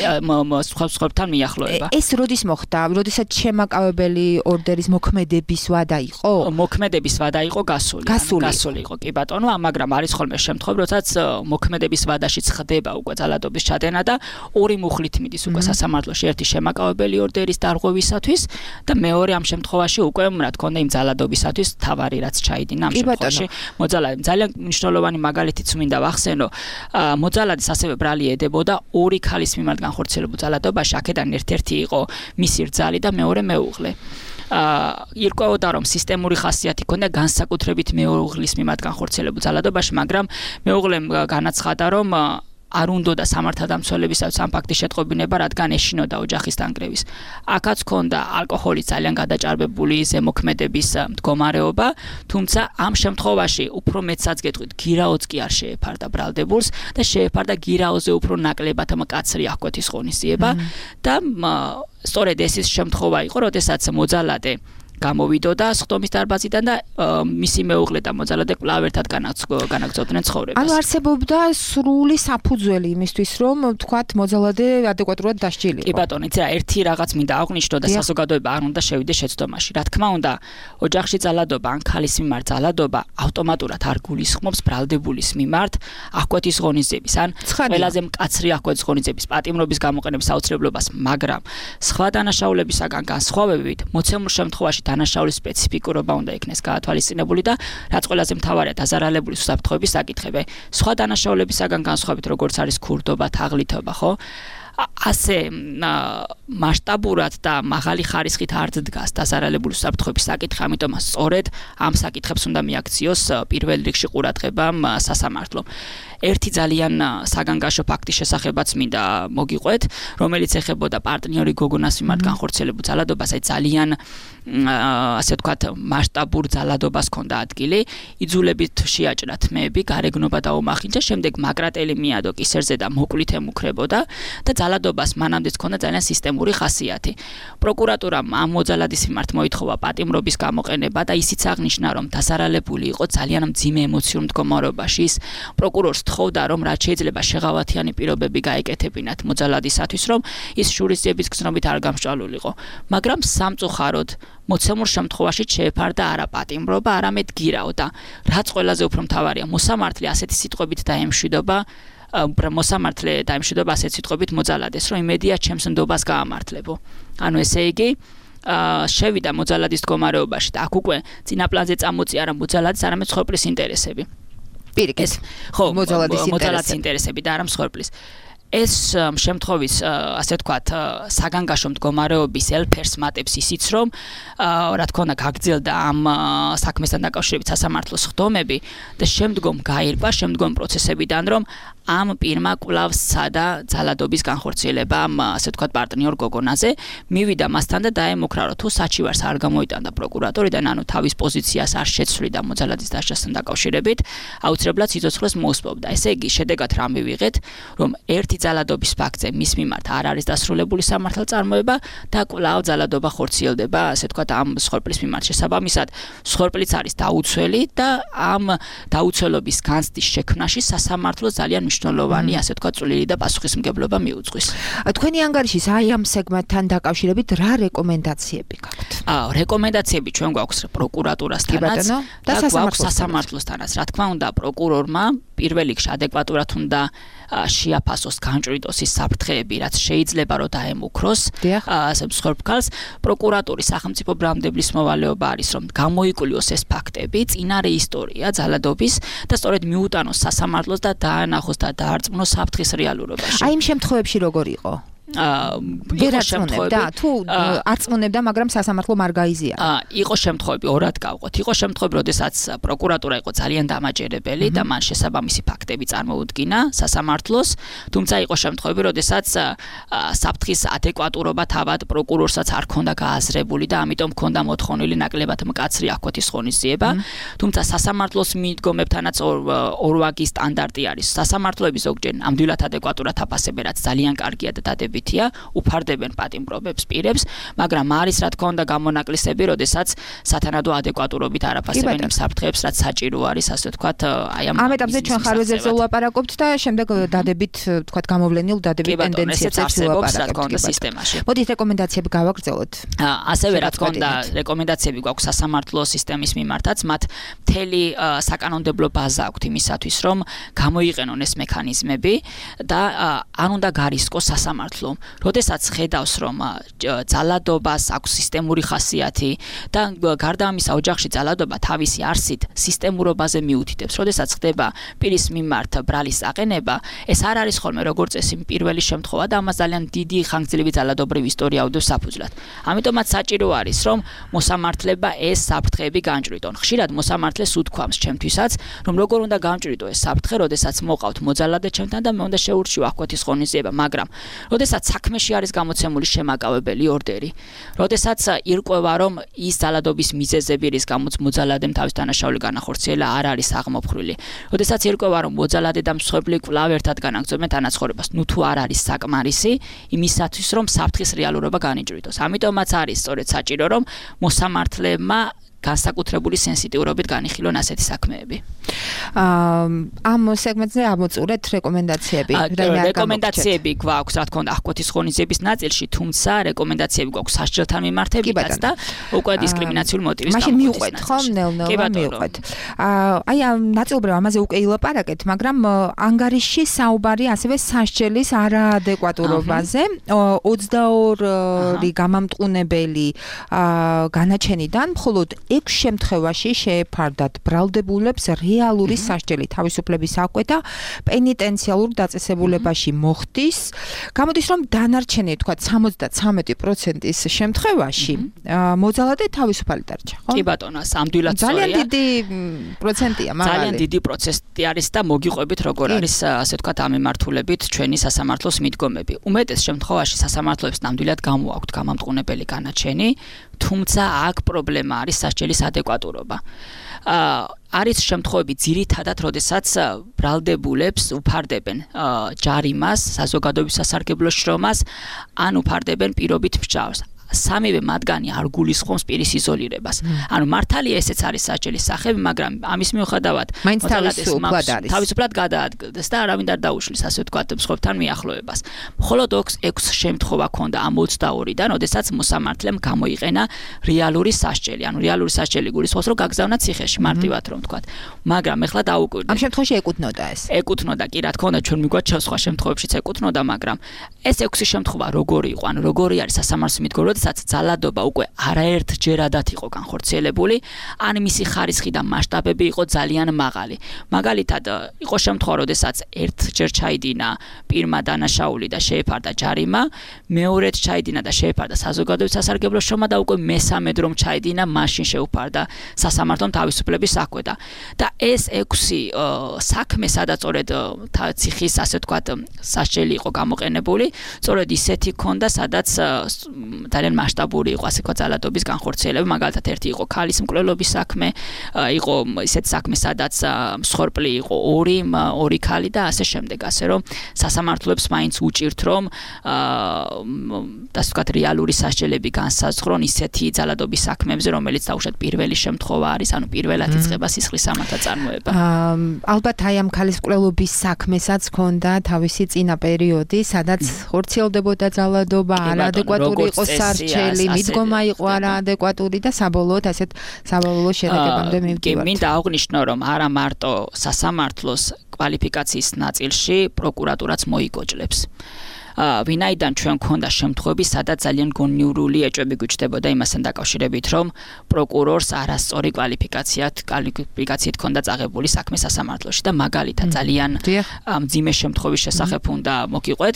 სხვებთან მიახლოება. ეს როდის მოხდა? როდესაც შემაკავებელი ორდერის მოქმედების ვადა იყო? მოქმედების ვადა იყო გასული იყო, კი ბატონო, მაგრამ არის ხოლმე შემთხვევა, როდესაც მოქმედების ვადაშიც ხდება უკვე ძალადობის ჩადენა და ორი მუხლით მიდის უკვე სასამართლოში, ერთი შემაკავებელი ორდერის დარღვევისათვის და მეორე ამ შემთხვევაში უკვე რა თქმა უნდა იმ ძალადობისათვის თავარი რაც ჩაიდინა ამ შემთხვევაში მოძალადე. ძალიან მნიშვნელოვანი მაგალითიც მინდა ვახსენო, მოძალადეს ასევე ბრალი ედებოდა ორი ქალის მიმართ განხორციელებულ ძალადობაში, აქედან ერთ-ერთი იყო მისი რძალი და მეორე მეუღლე. ირკვეოდა, რომ სისტემური ხასიათი ჰქონდა განსაკუთრებით მეუღლის მიმართ განხორციელებულ ძალადობაში, მაგრამ მეუღლემ განაცხადა, რომ არ უნდოდა სამართალდამცველებისათვის ამ ფაქტის შეტყობინება, რადგან ეშინოდა ოჯახის დანგრევის. აქაც ჰქონდა ალკოჰოლის ძალიან გადაჭარბებული ზემოქმედების მდგომარეობა, თუმცა ამ შემთხვევაში უფრო მეცაც გეტყვით, გირაოც კი არ შეეფარდა ბრალდებულს და შეეფარდა გირაოზე უფრო ნაკლებად მკაცრი აღკვეთის ღონისძიება და სწორედ ეს ის შემთხვევა იყო, როდესაც მოძალადე გამოვიდოდა სხდომის დარბაზიდან და მისი მეუღლე და მოძალადე კვლავ ერთად განაგრძობდნენ ცხოვრებას. ანუ არსებობდა სრული საფუძველი იმისთვის, რომ თქვათ მოძალადე ადეკვატურად დასჯილიყო. კი ბატონო, იცი რა, ერთი რაღაც მინდა აღვნიშნო და საზოგადოება არ უნდა შევიდეს შეცდომაში. რა თქმა უნდა, ოჯახში ძალადობა ან ქალის მიმართ ძალადობა ავტომატურად არ გულისხმობს ბრალდებულის მიმართ აღკვეთის ღონისძიების ან ყველაზე მკაცრი აღკვეთის ღონისძიების პატიმრობის გამოყენების აუცილებლობას, მაგრამ სხვა დანაშაულებისაგან განსხვავებით, მოცემულ შემთხვევაში დანაშაულის სპეციფიკურობა უნდა იქნეს გაათვალისწინებული და რაც ყველაზე მთავარია დაზარალებული უსაფრთხოების საკითხები. სხვა დანაშაულებისაგან განსხვავებით, როგორც არის ქურდობა, თაღლითობა, ხო? ასე მასშტაბურად და მაღალი ხარისხით არ დგას დასარალებული უსაფრთხოების საკითხი, ამიტომ სწორედ ამ საკითხებს უნდა მიაქციოს პირველ რიგში ყურადღებამ სასამართლომ. ერთი ძალიან საგანგაშო ფაქტის შესახებაც მინდა მოგიყვეთ, რომელიც ეხებოდა პარტნიორი გოგონას მიმართ განხორციელებულ ძალადობას, აი ძალიან ასე ვთქვათ, მასშტაბურ ძალადობას ჰქონდა ადგილი, იძულებით შეაჭრა თმეები, გარეგნობა დაუმახინჯა, შემდეგ მაგრატელი მიადო კისერზე და მოკლით ემუქრებოდა და ძალადობას მანამდეც ჰქონდა ძალიან სისტემური ხასიათი. პროკურატურამ ამ მოძალადის მიმართ მოითხოვა პატიმრობის გამოყენება და ისიც აღნიშნა, რომ დასარალებული იყო ძალიან მძიმე ემოციურ მდგომარეობაში. ის პროკურორს თხოვდა, რომ რაც შეიძლება შეღავათიანი პირობები გაეკეთებინათ მოძალადისათვის, რომ ის შურისძიების გზნობით არ გამსჭვალულიყო. მაგრამ სამწუხაროდ მოცემულ შემთხვევაში შეეფარდა არა პატიმრობა, არამედ გირაო და რაც ყველაზე უფრო მთავარია, მოსამართლე ასეთი სიტყვებით დაემშვიდობა ასეთ სიტყვებით მოძალადეს, რომ იმედია ჩემს ნდობას გაამართლებო. ანუ ესე იგი შევიდა მოძალადის მდგომარეობაში და აქ უკვე წინა პლანზე წამოწია არა მოძალადის, არამედ მსხვერპლის ინტერესები. პირიქით. ხო, მოძალადის ინტერესები და არა მსხვერპლის. ეს შემთხვევის ასე ვთქვათ საგანგაშო მდგომარეობის ელფერს მატებს ისიც რომ რა თქმა უნდა გაგრძელდა ამ საქმესთან დაკავშირებით სასამართლოს ხდომები და შემდგომ გაირკვა შემდგომ პროცესებიდან რომ ამ პირმა კვლავ სცადა ძალადობის განხორციელება ასე ვთქვათ პარტნიორ გოგონაზე მივიდა მასთან და დაემუქრა რომ თუ საჩივარს არ გამოიტანდა პროკურატორიდან ანუ თავის პოზიციას არ შეცვლიდა მოძალადის დასჯასთან დაკავშირებით აუცილებლად სიცოცხლეს მოუსწევდა ესე იგი შედეგად რა მივიღეთ რომ ერთი ძალადობის ფაქტზე მის მიმართ არ არის დასრულებული სამართალწარმოება და კვლავ ძალადობა ხორციელდება ასე ვთქვათ ამ მსხვერპლის მიმართ შესაბამისად მსხვერპლიც არის დაუცველი და ამ დაუცველობის განცდის შექმნაში სასამართლო ძალიან მნიშვნელოვანი ასე ვთქვათ წვლილი და პასუხისმგებლობა მიუძღვის. თქვენი ანგარიშის აი ამ სეგმენტთან დაკავშირებით რა რეკომენდაციები გაქვთ? რეკომენდაციები ჩვენ გვაქვს პროკურატურასთანაც და სასამართლოსთანაც. რა თქმა უნდა პროკურორმა პირველ რიგში ადეკვატურად უნდა შეაფასოს განჭვრიტოს ის საფრთხეები, რაც შეიძლება რომ დაემუქროს მსხვერპლს. პროკურატურის სახელმწიფო ბრალმდებლის მოვალეობა არის, რომ გამოიკლიოს ეს ფაქტები, წინარე ისტორია ძალადობის და სწორედ მიუტანოს სასამართლოს და დაანახოს და დაარწმუნოს საფრთხის რეალურობაში. აი იმ შემთხვევებში როგორ იყო? ვერ აწმუნებდა თუ აწმუნებდა მაგრამ სასამართლო არ გაიზიარა. იყო შემთხვევები ორად გავყოთ. იყო შემთხვევები, როდესაც პროკურატურა იყო ძალიან დამაჯერებელი და მან შესაბამისი ფაქტები წარმოუდგინა სასამართლოს, თუმცა იყო შემთხვევები, როდესაც საფრთხის ადეკვატურობა თავად პროკურორსაც არ ქონდა გააზრებული და ამიტომ ქონდა მოთხოვნილი ნაკლებად მკაცრი აქვეთის ღონისძიება. თუმცა სასამართლოს მიდგომებთანაც ორვაგი სტანდარტი არის. სასამართლოები ზოგჯერ ნამდვილად ადეკვატურად აფასებენ, რაც ძალიან კარგია და დადებით უფარდებენ პატიმრობებს პირებს, მაგრამ არის რა თქმა უნდა გამონაკლისები, როდესაც სათანადო ადეკვატურობით არ აფასებენ იმ საფრთხეებს, რაც საჭირო არის, ასე ვთქვათ, აი ამ ეტაპზე ჩვენ ხარვეზებზე ვლაპარაკობთ და შემდეგ დადებით, ვთქვათ, გამოვლენილ დადებით ტენდენციებს ვლაპარაკობთ სისტემაში. მოდით რეკომენდაციები გავაგრძელოთ. ასევე რა თქმა უნდა რეკომენდაციები გვაქვს სასამართლო სისტემის მიმართაც, მათ მთელი საკანონმდებლო ბაზა აქვთ იმისათვის, რომ გამოიყენონ ეს მექანიზმები და არ უნდა გარისკოს სასამართლო როდესაც ხედავს რომ ძალადობას აქვს სისტემური ხასიათი და გარდა ამისა ოჯახში ძალადობა თავისი არსით სისტემურობაზე მიუთითებს, როდესაც ხდება პირის მიმართ ბრალის აყენება, ეს არ არის ხოლმე როგორც წესი პირველი შემთხვევა და ამას ძალიან დიდი ხანგრძლივი ძალადობრივი ისტორია უდევს საფუძვლად. ამიტომაც საჭირო არის რომ მოსამართლება ეს საფრთხეები განჭვრიტონ. ხშირად მოსამართლეს უთქვამს ჩემთვისაც, რომ როგორ უნდა განჭვრიტო ეს საფრთხე, როდესაც მოყავთ მოძალადე ჩემთან და მე უნდა შეურჩიო აქვეთის ღონისძიება, მაგრამ როდესაც საქმეში არის გამოცემული შემაკავებელი ორდერი. როდესაც ირკვევა, რომ ის ძალადობის მიზეზები, რის გამოც მოძალადემ თავის დანაშაული განახორციელა, არ არის აღმოფხრილი. როდესაც ირკვევა, რომ მოძალადე და მსხვერპლი კვლავ ერთად განაგრძობენ თანაცხოვრებას, ნუ თუ არ არის საკმარისი იმისათვის, რომ საფრთხის რეალურობა განიჭრიტოს. ამიტომაც არის სწორედ საჭირო, რომ მოსამართლებმა განსაკუთრებული სენსიტიურობით განიხილონ ასეთი საქმეები. ამ სეგმენტზე ამოწურეთ რეკომენდაციები. რეკომენდაციები გვაქვს, რა თქმა უნდა, აქვეთის ღონისძიების ნაწილში, თუმცა რეკომენდაციები გვაქვს სასჯელთან მიმართებითაც და უკვე დისკრიმინაციული მოტივის გამო. მაშინ მივყვეთ, ხო, ნელ-ნელა მივყვეთ. აი ამ ნაწილობრივ ამაზე უკვე ილაპარაკეთ, მაგრამ ანგარიშში საუბარი ასევე სასჯელის არაადეკვატურობაზე. 22 გამამტყუნებელი განაჩენიდან მხოლოდ 6 შემთხვევაში შეეფარდათ ბრალდებულებს რეალური სასჯელი თავისუფლების აკვეთა პენიტენციალურ დაწესებულებაში მოხდის. გამოდის რომ დანარჩენი თქვა 73%-ის შემთხვევაში მოძალადე თავისუფალი დარჩა, ხო? კი ბატონო, სამდვილად სწორია. ძალიან დიდი პროცენტია მაგალითად. ძალიან დიდი პროცენტი არის და მოგიყვებით როგორ არის ასე ვთქვათ ამ მიმართულებით ჩვენი სასამართლოს მიდგომები. უმეტეს შემთხვევაში სასამართლოებს ნამდვილად გამოაქვთ გამამტყუნებელი განაჩენი, თუმცა აქ პრობლემა არის სასჯელის ადეკვატურობა. არის შემთხვევები ძირითადად, როდესაც ბრალდებულებს უფარდებენ ჯარიმას, საზოგადოების სასარგებლო შრომას, ან უფარდებენ პირობით მსჯავრს. სამივე მათგანი არ გულისხმობს პირის იზოლირებას. ანუ მართალია ესეც არის სასჯელის სახები, მაგრამ ამის მიუხედავად თავისუფლად გადაადგილდეს და არავინ არ დაუშლის ასე ვთქვათ მსხვერპლთან მიახლოებას. მხოლოდ 6 შემთხვევა ქონდა ამ 22-დან, როდესაც მოსამართლემ გამოიყენა რეალური სასჯელი. ანუ რეალური სასჯელი გულისხმობს, რომ გაგზავნა ციხეში, მარტივად რომ ვთქვათ. მაგრამ ეხლა დაუკვირდეთ. ამ შემთხვევაში ეკუთვნოდა ეს. ეკუთვნოდა კი, რა თქმა უნდა, ჩვენ მიგვაჩვენს სხვა შემთხვევებშიც ეკუთვნოდა, მაგრამ ეს 6 შემთხვევა როგორი იყო, ანუ როგორი არის სასამართლოს მიდგომა, როდესაც ძალადობა უკვე არაერთჯერადად იყო განხორციელებული, ან მისი ხარისხი და მასშტაბები იყო ძალიან მაღალი. მაგალითად, იყო შემთხვევა, როდესაც ერთჯერ ჩაიდინა პირმა დანაშაული და შეეფარდა ჯარიმა, მეორედ ჩაიდინა და შეეფარდა საზოგადოების სასარგებლო შრომა და უკვე მესამედ რომ ჩაიდინა, მაშინ შეუფარდა სასამართლომ თავისუფლების აკვეთა. და ეს 6 საქმე, სადაც სწორედ ციხის ასე ვთქვათ სასჯელი იყო გამოყენებული, სწორედ ისეთი ქონდა, სადაც ძალიან მასშტაბური იყო ასე ვთქვათ ძალადობის განხორციელება. მაგალითად, ერთი იყო ქალის მკვლელობის საქმე, იყო ისეთი საქმე, სადაც მსხვერპლი იყო ორი ქალი და ასე შემდეგ, ასე რომ სასამართლოებს მაინც უჭირთ რომ ასე ვთქვათ რეალური სასჯელები განსაზღვრონ ისეთი ძალადობის საქმეებზე, რომელიც დაუშვათ პირველი შემთხვევა არის, ანუ პირველად იწყება სისხლის სამართა წარმოება. ალბათ აი ამ ქალის მკვლელობის საქმესაც ქონდა თავისი წინა პერიოდი, სადაც ხორციელდებოდა ძალადობა, არაადეკვატური იყო სასჯელი, მიდგომა იყო არაადეკვატური და საბოლოოდ ასეთ საბოლოო შედეგებამდე მივდივართ. მინდა აღვნიშნო, რომ არა მარტო სასამართლოს კვალიფიკაციის ნაწილში პროკურატურაც მოიგოჭლებს. ვინაიდან ჩვენ ქონდა შემთხვევები, სადაც ძალიან გონიურული ეჭვები გვიჩნდებოდა იმასთან დაკავშირებით, რომ პროკურორს არასწორი კვალიფიკაციით ქონდა წაღებული საქმე სასამართლოში და მაგალითად ძალიან მძიმე შემთხვევის შესახებ უნდა მოგიყვეთ.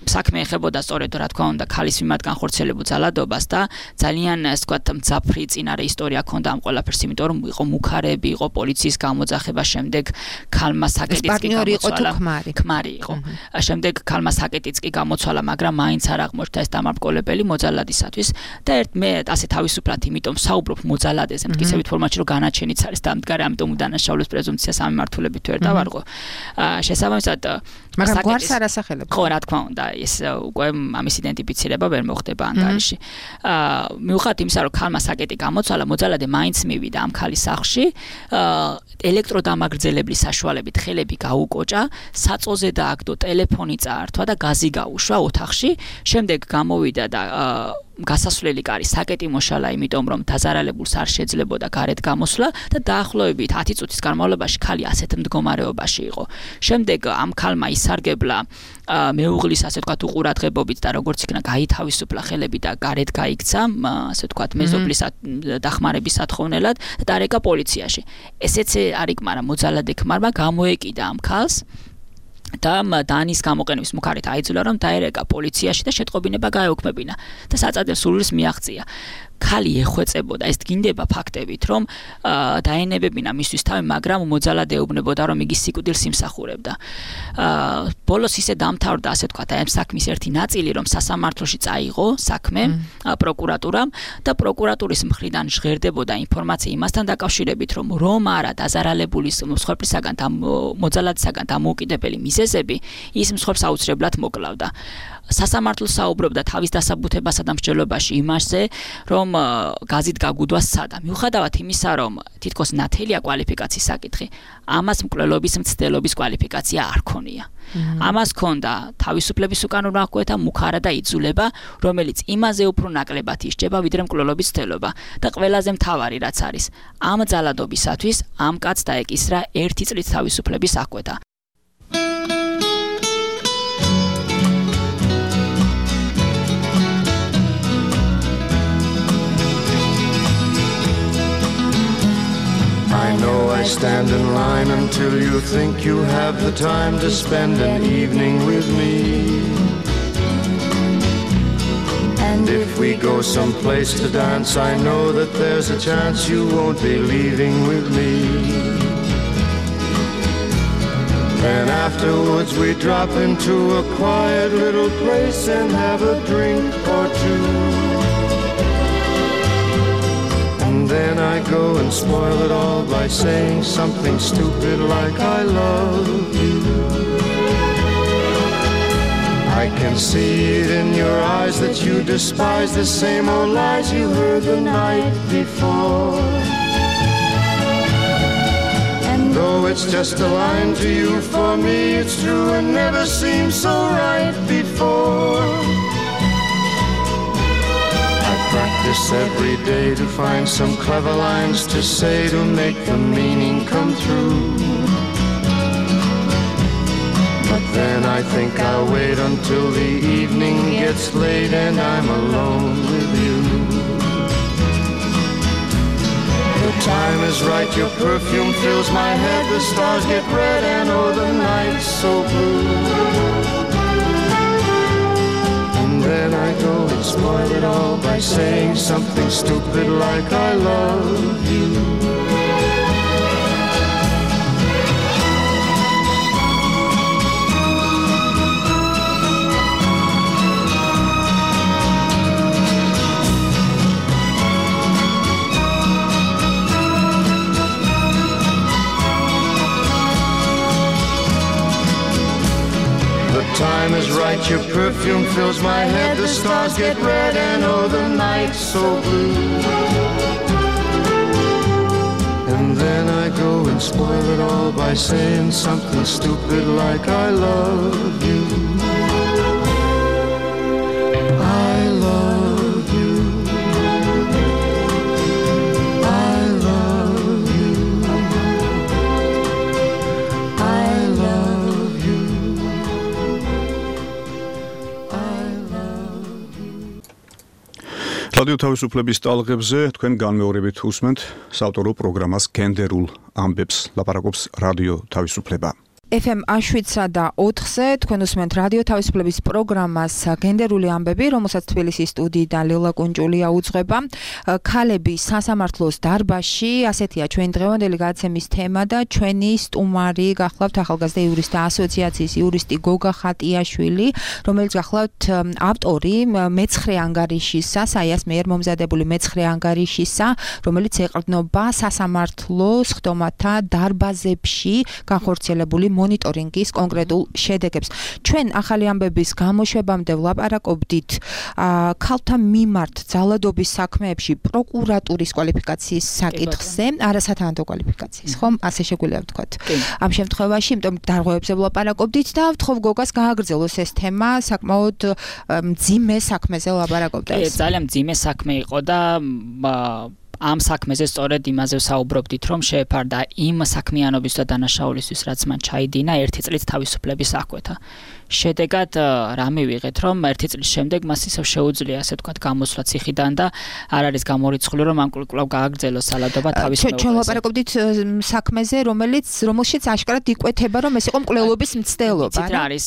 საქმე ეხებოდა სწორედ რა თქმა უნდა ქალის მიმართ განხორციელებულ ძალადობას და ძალიან ასე ვთქვათ მძაფრი წინარე ისტორია ქონდა ამ ყველაფერს, იმიტომ რომ იყო მუქარები, იყო პოლიციის გამოძახება, შემდეგ ქალმა საკეტიც კი გამოცვალა. ქმარი იყო. შემდეგ ქალმა საკეტიც კი გამოცვალა, მაგრამ მაინც არ აღმოჩნდა ეს დამარბგოლებელი მოძალადისათვის და მე ასე თავისუფლად იმიტომ საუბრობ მოძალადეზე, მტკიცებით ფორმატში, რომ განაჩენიც არის დამდგარი, ამიტომ უდანაშაულების პრეზუმპცია სამმართველობით ვერ დავარღო. შესაბამისად მაგრამ გვარს არ ასახელებს. ხო, რა თქმა უნდა, ეს უკვე ამის იდენტიფიცირება ვერ მოხდება ანგარიში. მიუხედავად იმისა, რომ ქალმა საკეტი გამოცვალა, მოძალადე მაინც მივიდა ამ ქალის სახლში, ელექტროდამაგრძელებლის საშუალებით ხელები გაუკოჭა, საწოზე დააგდო, ტელეფონი წაართვა და გაზი გაუშვა ოთახში, შემდეგ გამოვიდა და გასასვლელი კარი საკეტი მოშალა, იმიტომ რომ დაზარალებულს არ შეძლებოდა გარეთ გამოსვლა და დაახლოებით 10 წუთის განმავლობაში ქალი ასეთ მდგომარეობაში იყო. შემდეგ ამ ქალმა ისარგებლა მეუღლის ასე ვთქვათ უყურადღებობით და როგორც იქნა გაითავისუფლა ხელები და გარეთ გაიქცა, ასე ვთქვათ მეზობლის დახმარების სათხოვნელად და დარეკა პოლიციაში. ესეც არ იკმარა მოძალადე ქმარმა, გამოეკიდა ამ ქალს და დანის გამოყენების მუქარით აიძულა, რომ დაერეკა პოლიციაში და შეტყობინება გაეუქმებინა და საწადელ სურვილს მიაღწია. ქალი ეხვეწებოდა, ეს დგინდება ფაქტებით, რომ დაენებებინა მისთვის თავი, მაგრამ მოძალადე ეუბნებოდა, რომ იგი სიკვდილს იმსახურებდა. ბოლოს ისე დამთავრდა, ასე ვთქვათ, ამ საქმის ერთი ნაწილი, რომ სასამართლოში წაიღო საქმე პროკურატურამ და პროკურატურის მხრიდან ჟღერდებოდა ინფორმაცია იმასთან დაკავშირებით, რომ არა დაზარალებულის მსხვერპლისაგან და მოძალადისაგან დამოუკიდებელი მიზეზები, ის მსხვერპლს აუცილებლად მოკლავდა. სასამართლო საუბრობდა თავის დასაბუთებასა და მსჯელობაში იმასზე, რომ გაზით გაგუდვა სცადა. მიუხედავად იმისა, რომ თითქოს ნათელია კვალიფიკაციის საკითხი, ამას მკვლელობის მცდელობის კვალიფიკაცია არ ქონია. ამას ქონდა თავისუფლების უკანონო აკვეთა, მუქარა და იძულება, რომელიც იმაზე უფრო ნაკლებად ისჯება, ვიდრე მკვლელობის მცდელობა. და ყველაზე მთავარი რაც არის, ამ ძალადობისათვის ამ კაცს დაეკისრა 1 წლით თავისუფლების აკვეთა. I stand in line until you think you have the time to spend an evening with me. And if we go someplace to dance, I know that there's a chance you won't be leaving with me. Then afterwards we drop into a quiet little place and have a drink or two. And then I go and spoil it all by saying something stupid like I love you. I can see it in your eyes that you despise the same old lies you heard the night before. And though it's just a line to you, for me it's true and never seemed so right before. I practice every day to find some clever lines to say to make the meaning come through. But then I think I'll wait until the evening gets late and I'm alone with you. The time is right, your perfume fills my head, the stars get red and oh the night's so blue. And then I go and spoil it all by saying something stupid like I love you. Time is right, your perfume fills my head, the stars get red and oh the night's so blue. And then I go and spoil it all by saying something stupid like I love you. I love you. I love you. I love you. რადიო თავისუფლების ტალღებზე თქვენ განმეორებით უსმენთ საავტორო პროგრამას გენდერულ ამბებს, ლაპარაკობს რადიო თავისუფლება. FM Ashwitsa და 4-ზე თქვენ უსმენთ რადიო თავისუფლების პროგრამას გენდერული ამბები, რომელსაც თბილისის სტუდიიდან ლელა კუნჭულია უძღვება. ქალები სასამართლოს დარბაზში, ასეთია ჩვენი დღევანდელი გადაცემის თემა და ჩვენი სტუმარი გახლავთ ახალგაზრდა იურისტთა ასოციაციის იურისტი გოგა ხატიაშვილი, რომელიც გახლავთ ავტორი მეცხრე ანგარიშისა, საიას მიერ მომზადებული მეცხრე ანგარიშისა, რომელიც ეყრდნობა სასამართლოს ხდომათა დარბაზებში განხორციელებული მონიტორინგის კონკრეტულ შედეგებს. ჩვენ ახალი ამბების გამოშვებამდე ვლაპარაკობდით ქალთა მიმართ ძალადობის საქმეებში პროკურატურის კვალიფიკაციის საკითხზე, არასათანადო კვალიფიკაციის, ხომ? ასე შეგვიძლია ვთქვათ. ამ შემთხვევაში, იმიტომ დარღვევებზე ვლაპარაკობდით და ვთხოვ გოგას გააგრძელოს ეს თემა, საკმაოდ მძიმე საქმეზე ვლაპარაკობდა. ძალიან მძიმე საქმე იყო და ამ საქმეზე სწორედ იმაზე ვსაუბრობდით, რომ შეეფარდა იმ საქმიანობის და დანაშაულისთვის, რაც მან ჩაიდინა 1 წლით თავისუფლების აღკვეთა. შედეგად რა მივიღეთ, რომ 1 წლის შემდეგ მას ისევ შეუძლია, ასე ვთქვათ, გამოსვლა ციხიდან და არ არის გამორიცხული, რომ ამ კვლავ გააგრძელოს სალადობა თავის მეუღლეზე. ჩვენ ვაპარაკობდით საქმეზე, რომელშიც აშკარად იკვეთება, რომ ეს იყო მკვლელობის მცდელობა. იცით რა არის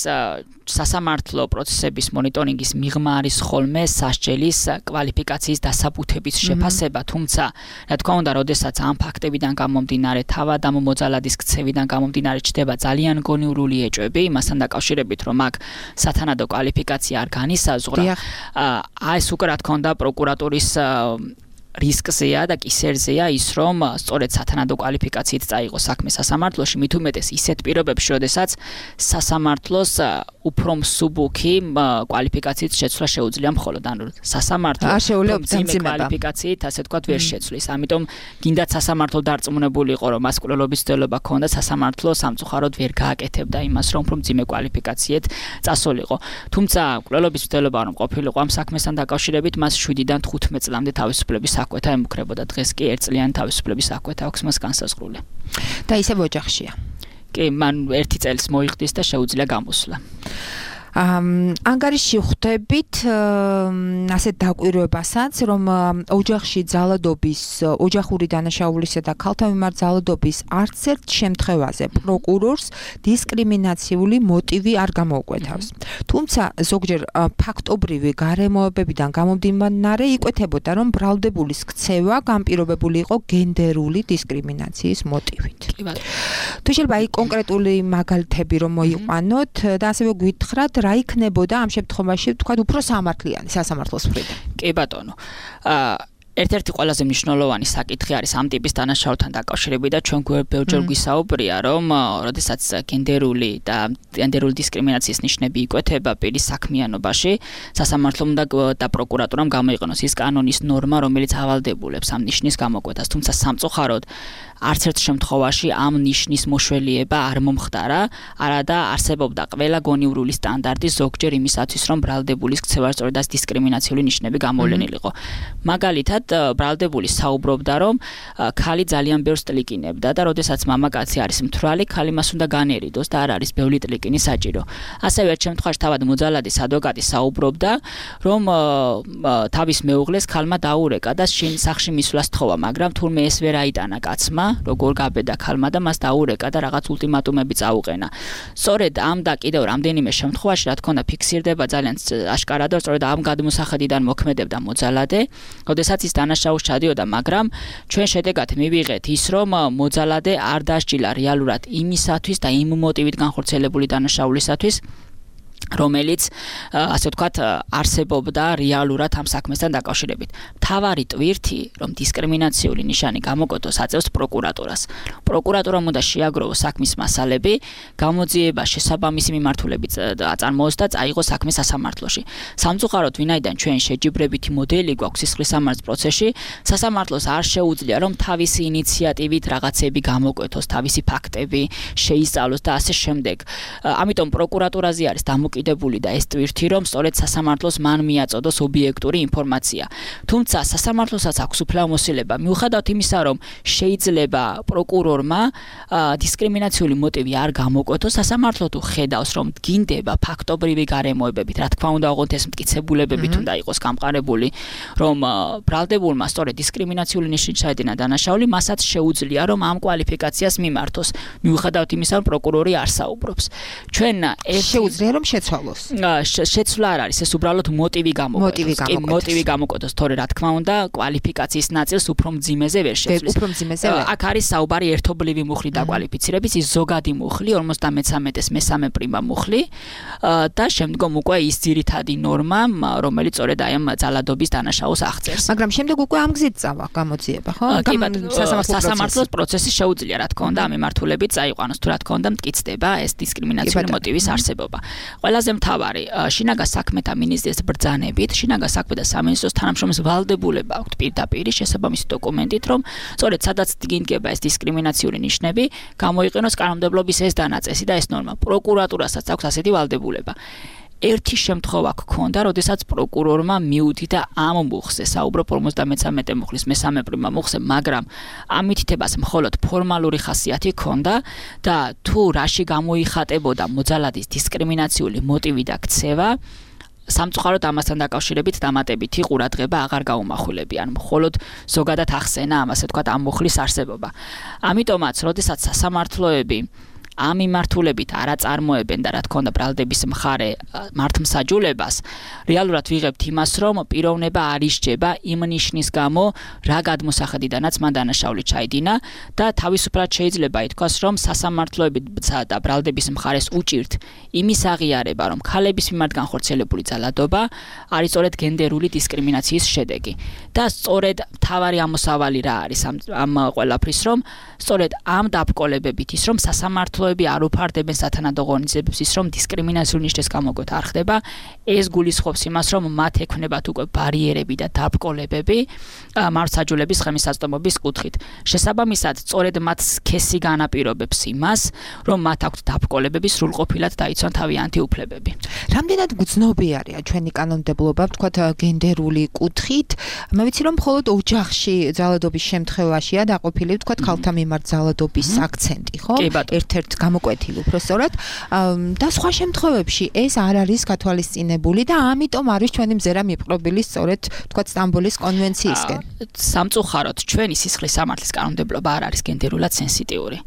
სასამართლო პროცესების მონიტორინგის მიღმა არის ხოლმე სასჯელის კვალიფიკაციის დასაბუთების შეფასება, თუმცა რა თქმა უნდა, როდესაც ამ ფაქტებიდან გამომდინარე, თავად ამ მოძალადის ქცევიდან გამომდინარე ჩდება ძალიან გონივრული ეჭვები, იმასთან დაკავშირებით, რომ აქ სათანადო კვალიფიკაცია არ განისაზღვრა. ეს უკვე რა თქმა უნდა პროკურატურის რისკზეა და კისერზეა ის, რომ სწორედ სათანადო კვალიფიკაციით წაიღო საქმე სასამართლოში, მით უმეტეს ისეთ პირობებში, როდესაც სასამართლოს უფრო მსუბუქი კვალიფიკაციით შეცვლა შეუძლია მხოლოდ, ანუ სასამართლო მძიმე კვალიფიკაციით, ასე ვთქვათ, ვერ შეცვლის. ამიტომ გინდათ სასამართლო დარწმუნებული იყო, რომ მას კვლელობის მცდელობა ჰქონდა, სასამართლო სამწუხაროდ ვერ გააკეთებდა იმას, რომ უფრო მძიმე კვალიფიკაციით წასულიყო. თუმცა კვლელობის მცდელობა რომ ყოფილიყო ამ საქმესთან დაკავშირებით, მას 7-დან 15 წლამდე თავისუფლების საკვეთა ემუქრებოდა. დღეს კი 1 წლიანი თავისუფლების საკვეთა აქვს მას განსაზღვრული. და ისევ ოჯახშია. კი, მან 1 წელს მოიხდის და შეუძლია გამოსვლა. ანგარიში ხვდებით ასე დაკვირვებასაც, რომ ოჯახში ძალადობის, ოჯახური დანაშაულისა და ქალთა მიმართ ძალადობის არც ერთ შემთხვევაზე პროკურორს დისკრიმინაციული მოტივი არ გამოუკვეთავს. თუმცა ზოგჯერ ფაქტობრივი გარემოებებიდან გამომდინარე იკვეთებოდა, რომ ბრალდებულის ქცევა განპირობებული იყო გენდერული დისკრიმინაციის მოტივით. თუ შეიძლება აი კონკრეტული მაგალითები რომ მოიყვანოთ და ასევე გვითხრათ რა იქნებოდა ამ შემთხვევაში თქვა უფრო სამართლიანი სასამართლოს მხრიდან. კი ბატონო. ერთ-ერთი ყველაზე მნიშვნელოვანი საკითხი არის ამ ტიპის დანაშაულთან დაკავშირებით და ჩვენ ბევრჯერ გვისაუბრია, რომ როდესაც გენდერული დისკრიმინაციის ნიშნები იკვეთება პირის საქმიანობაში, სასამართლომ და პროკურატურამ გამოიყენოს ის კანონის ნორმა, რომელიც ავალდებულებს ამ ნიშნის გამოკვეთას, თუმცა სამწუხაროდ არც ერთ შემთხვევაში ამ ნიშნის მოშველიება არ მომხდარა, არადა არსებობდა ყველა გონივრული სტანდარტი ზოგჯერ იმისათვის, რომ ბრალდებულის ქცევა სწორედ ეს დისკრიმინაციული ნიშნები გამოვლენილიყო. მაგალითად, ბრალდებული საუბრობდა, რომ ქალი ძალიან ბევრს ტლიკინებდა და როდესაც მამაკაცი არის მთვრალი, ქალი მას უნდა განერიდოს და არ არის ბევრი ტლიკინი საჭირო. ასევე ერთ შემთხვევაში თავად მოძალადის ადვოკატი საუბრობდა, რომ თავის მეუღლეს ქალმა დაურეკა და სახლში მისვლას თხოვა, მაგრამ თურმე ეს ვერ აიტანა კაცმა, როგორ გაბედა ქალმა და მას დაურეკა და რაღაც ულტიმატუმები წაუყენა. სწორედ ამ და კიდევ რამდენიმე შემთხვევაში, რა თქმა უნდა, ფიქსირდება ძალიან აშკარად, რომ სწორედ ამ გადმოსახედიდან მოქმედებდა მოძალადე, როდესაც ის დანაშაულს ჩადიოდა, მაგრამ ჩვენ შედეგად მივიღეთ ის, რომ მოძალადე არ დასჯილა რეალურად იმისათვის და იმ მოტივით განხორციელებული დანაშაულისათვის, რომელიც ასე ვთქვათ არსებობდა რეალურად ამ საქმესთან დაკავშირებით. მთავარი ტვირთი, რომ დისკრიმინაციული ნიშანი გამოკვეთოს, აწევს პროკურატურას. პროკურატურამ უნდა შეაგროვოს საქმის მასალები, გამოძიება შესაბამისი მიმართულებით აწარმოოს და წაიღოს საქმე სასამართლოში. სამწუხაროდ, ვინაიდან ჩვენ შეჯიბრებითი მოდელი გვაქვს სისხლის სამართლის პროცესში, სასამართლოს არ შეუძლია, რომ თავისი ინიციატივით რაღაცები გამოკვეთოს, თავისი ფაქტები შეისწავლოს და ასე შემდეგ. ამიტომ პროკურატურაზე არის დამოკიდებული და ეს ტვირთი, რომ სწორედ სასამართლოს მან მიაწოდოს ობიექტური ინფორმაცია. თუმცა სასამართლოსაც აქვს უფლებამოსილება, მიუხედავად იმისა, რომ შეიძლება პროკურორმა დისკრიმინაციული მოტივი არ გამოკვეთოს, სასამართლო თუ ხედავს, რომ გინდება ფაქტობრივი გარემოებებით, რა თქმა უნდა, ოღონდ ეს მტკიცებულებებით უნდა იყოს გამყარებული, რომ ბრალდებულმა სწორედ დისკრიმინაციული ნიშნით ჩაედინა დანაშაული, მასაც შეუძლია, რომ ამ კვალიფიკაციას მიმართოს, მიუხედავად იმისა, რომ პროკურორი არ საუბრობს. ჩვენ შეუძლია რომ შეცვალოს. შეცვლა არ არის, ეს უბრალოდ მოტივი გამოკვეთოს, თორე რა თქმა უნდა, კვალიფიკაციის ნაწილს უფრო მძიმეზე ვერ შეცვლის. აქ არის საუბარი ერთობლივი მუხლი დაკვალიფიცირების, ის ზოგადი მუხლი, 53-ეს მესამე პრიმა მუხლი და შემდგომ უკვე ის ძირითადი ნორმა, რომელიც სწორედ აი ამ ძალადობის დანაშაულს აღწერს. მაგრამ შემდეგ უკვე ამ გზით წავა გამოძიება, ხო? სასამართლოს პროცესი შეუძლია, რა თქმა უნდა, ამ მიმართულებით წაიყვანოს, თუ რა თქმა უნდა, მტკიცდება ეს დისკრიმინაციული მოტივის არსებობა. ყველაზე მთავარი, შინაგან საქმეთა მინისტრის ბრძანებით, შინაგან საქმეთა სამინისტროს თანამშრომლის ვალდებულება აქვს პირდაპირ შესაბამისი დოკუმენტით, რომ სწორედ სადაც დგინდება ეს დისკრიმინაციული ნიშნები, გამოიყენოს კანონმდებლობის ეს დანაწესი და ეს ნორმა. პროკურატურასაც აქვს ასეთი ვალდებულება. ერთი შემთხვევა გქონდა, როდესაც პროკურორმა მიუთითა ამ მუხლზე, საუბრობ 53 მუხლის მესამე პრიმა მუხლზე, მაგრამ ამ მითითებას მხოლოდ ფორმალური ხასიათი ჰქონდა და თუ რაში გამოიხატებოდა მოძალადის დისკრიმინაციული მოტივი და ქცევა, სამწუხაროდ ამასთან დაკავშირებით დამატებითი ყურადღება აღარ გაუმახვილებიან, მხოლოდ ზოგადად ახსენა ამასე თქვა ამ მუხლის არსებობა. ამიტომაც, როდესაც სასამართლოები ამ მიმართულებით არ აწარმოებენ და რა თქმა უნდა ბრალდების მხარე მართლმსაჯულებას, რეალურად ვიღებთ იმას, რომ პიროვნება არ ისჯება იმ ნიშნის გამო, რა გადმოსახედიდანაც მან დანაშაული ჩაიდინა და თავისუფლად შეიძლება ითქვას, რომ სასამართლოებისა და ბრალდების მხარეს უჭირთ იმის აღიარება, რომ ქალების მიმართ განხორციელებული ძალადობა არის სწორედ გენდერული დისკრიმინაციის შედეგი. და სწორედ მთავარი ამოსავალი რა არის ამ ყველაფრის, რომ სწორედ ამ დაბრკოლებებით ის, რომ სასამართლოები არ უფარდებენ სათანადო ღონისძიებებს ის, რომ დისკრიმინაციული ნიშნის გამოკვეთა არ ხდება, ეს გულისხმობს იმას, რომ მათ ექნებათ უკვე ბარიერები და დაბრკოლებები მართლმსაჯულების ხელმისაწვდომობის კუთხით. შესაბამისად, სწორედ მათ სქესი განაპირობებს იმას, რომ მათ აქვთ დაბრკოლებები სრულყოფილად დაიცვან თავიანთი უფლებები. რამდენად გრძნობიარია ჩვენი კანონმდებლობა, ვთქვათ, გენდერული კუთხით? მე ვიცი, რომ მხოლოდ ოჯახში ძალადობის შემთხვევაშია დაყოფილი, ვთქვათ, ქალთა მიმართ ძალადობის აქცენტი, ხო? ერთ-ერთ გამოკვეთილი უბრალოდ და სხვა შემთხვევებში ეს არ არის გათვალისწინებული და ამიტომ არის ჩვენი მზერა მიპყრობილი სწორედ თქვათ სტამბოლის კონვენციისკენ. სამწუხაროდ ჩვენი სისხლის სამართლის კანონმდებლობა არ არის გენდერულად სენსიტიური.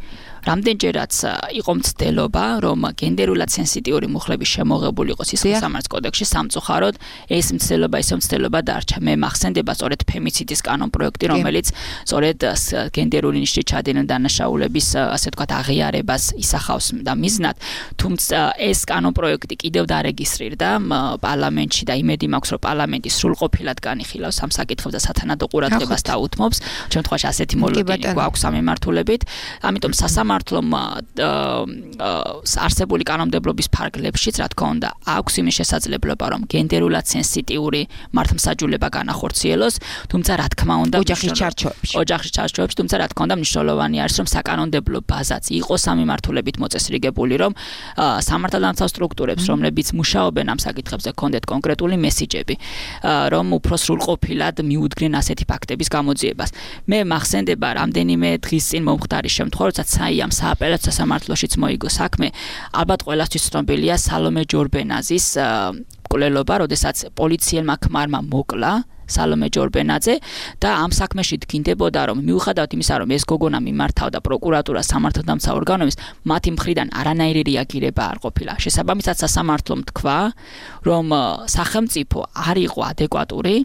რამდენჯერაც იყო მცდელობა, რომ გენდერულად სენსიტიური მუხლების შემოღებული იყოს სისხლის სამართლის კოდექსში, სამწუხაროდ ეს მცდელობა დარჩა. მე მახსენდება სწორედ ფემიციდის კანონპროექტი, რომელიც სწორედ გენდერული ნიშნით ჩადენილი დანაშაულების, ასე ვთქვათ, აღიარებას ისახავს და მიზნად, თუმცა ეს კანონპროექტი კიდევ დარეგისტრირდა პარლამენტში და იმედი მაქვს, რომ პარლამენტი სრულყოფილად განიხილავს ამ საკითხებს და სათანადო ყურადღებას დაუთმობს. შემთხვევაში ასეთი მოლოდინი გვაქვს სამემართულებით, ამიტომ სამართლომ არსებული კანონმდებლობის ფარგლებშიც, რა თქმა უნდა, აქვს იმის შესაძლებლობა, რომ გენდერულად სენსიტიური მართლმსაჯულება განახორციელოს, თუმცა რა თქმა უნდა, ოჯახის ჩარჩოებში, თუმცა რა თქმა უნდა, მნიშვნელოვანი არის, რომ საკანონმდებლო ბაზაც იყოს სამემართულებით მოწესრიგებული, რომ სამართალდამცავ სტრუქტურებს, რომლებიც მუშაობენ ამ საკითხებზე, კონდეთ კონკრეტული მესიჯები, რომ უფრო სრულყოფილად მიუდგნენ ასეთი ფაქტების გამოძიებას. მე მახსენდება რამდენიმე დღის წინ მომხდარი შემთხვევა, როდესაც ამ სააპელაციო სამართლოშიც მოიგო საქმე, ალბათ ყველასთვის ცნობილია სალომე ჯორბენაძის მკვლელობა, როდესაც პოლიციელმა ქმარმა მოკლა სალომე ჯორბენაძე და ამ საქმეში დგინდებოდა, რომ მიუხედავად იმისა, რომ ეს გოგონა მიმართავდა პროკურატურას სამართალდამცავ ორგანოებს, მათი მხრიდან არანაირი რეაგირება არ ყოფილა. შესაბამისად, სასამართლომ თქვა, რომ სახელმწიფო არ იყო ადეკვატური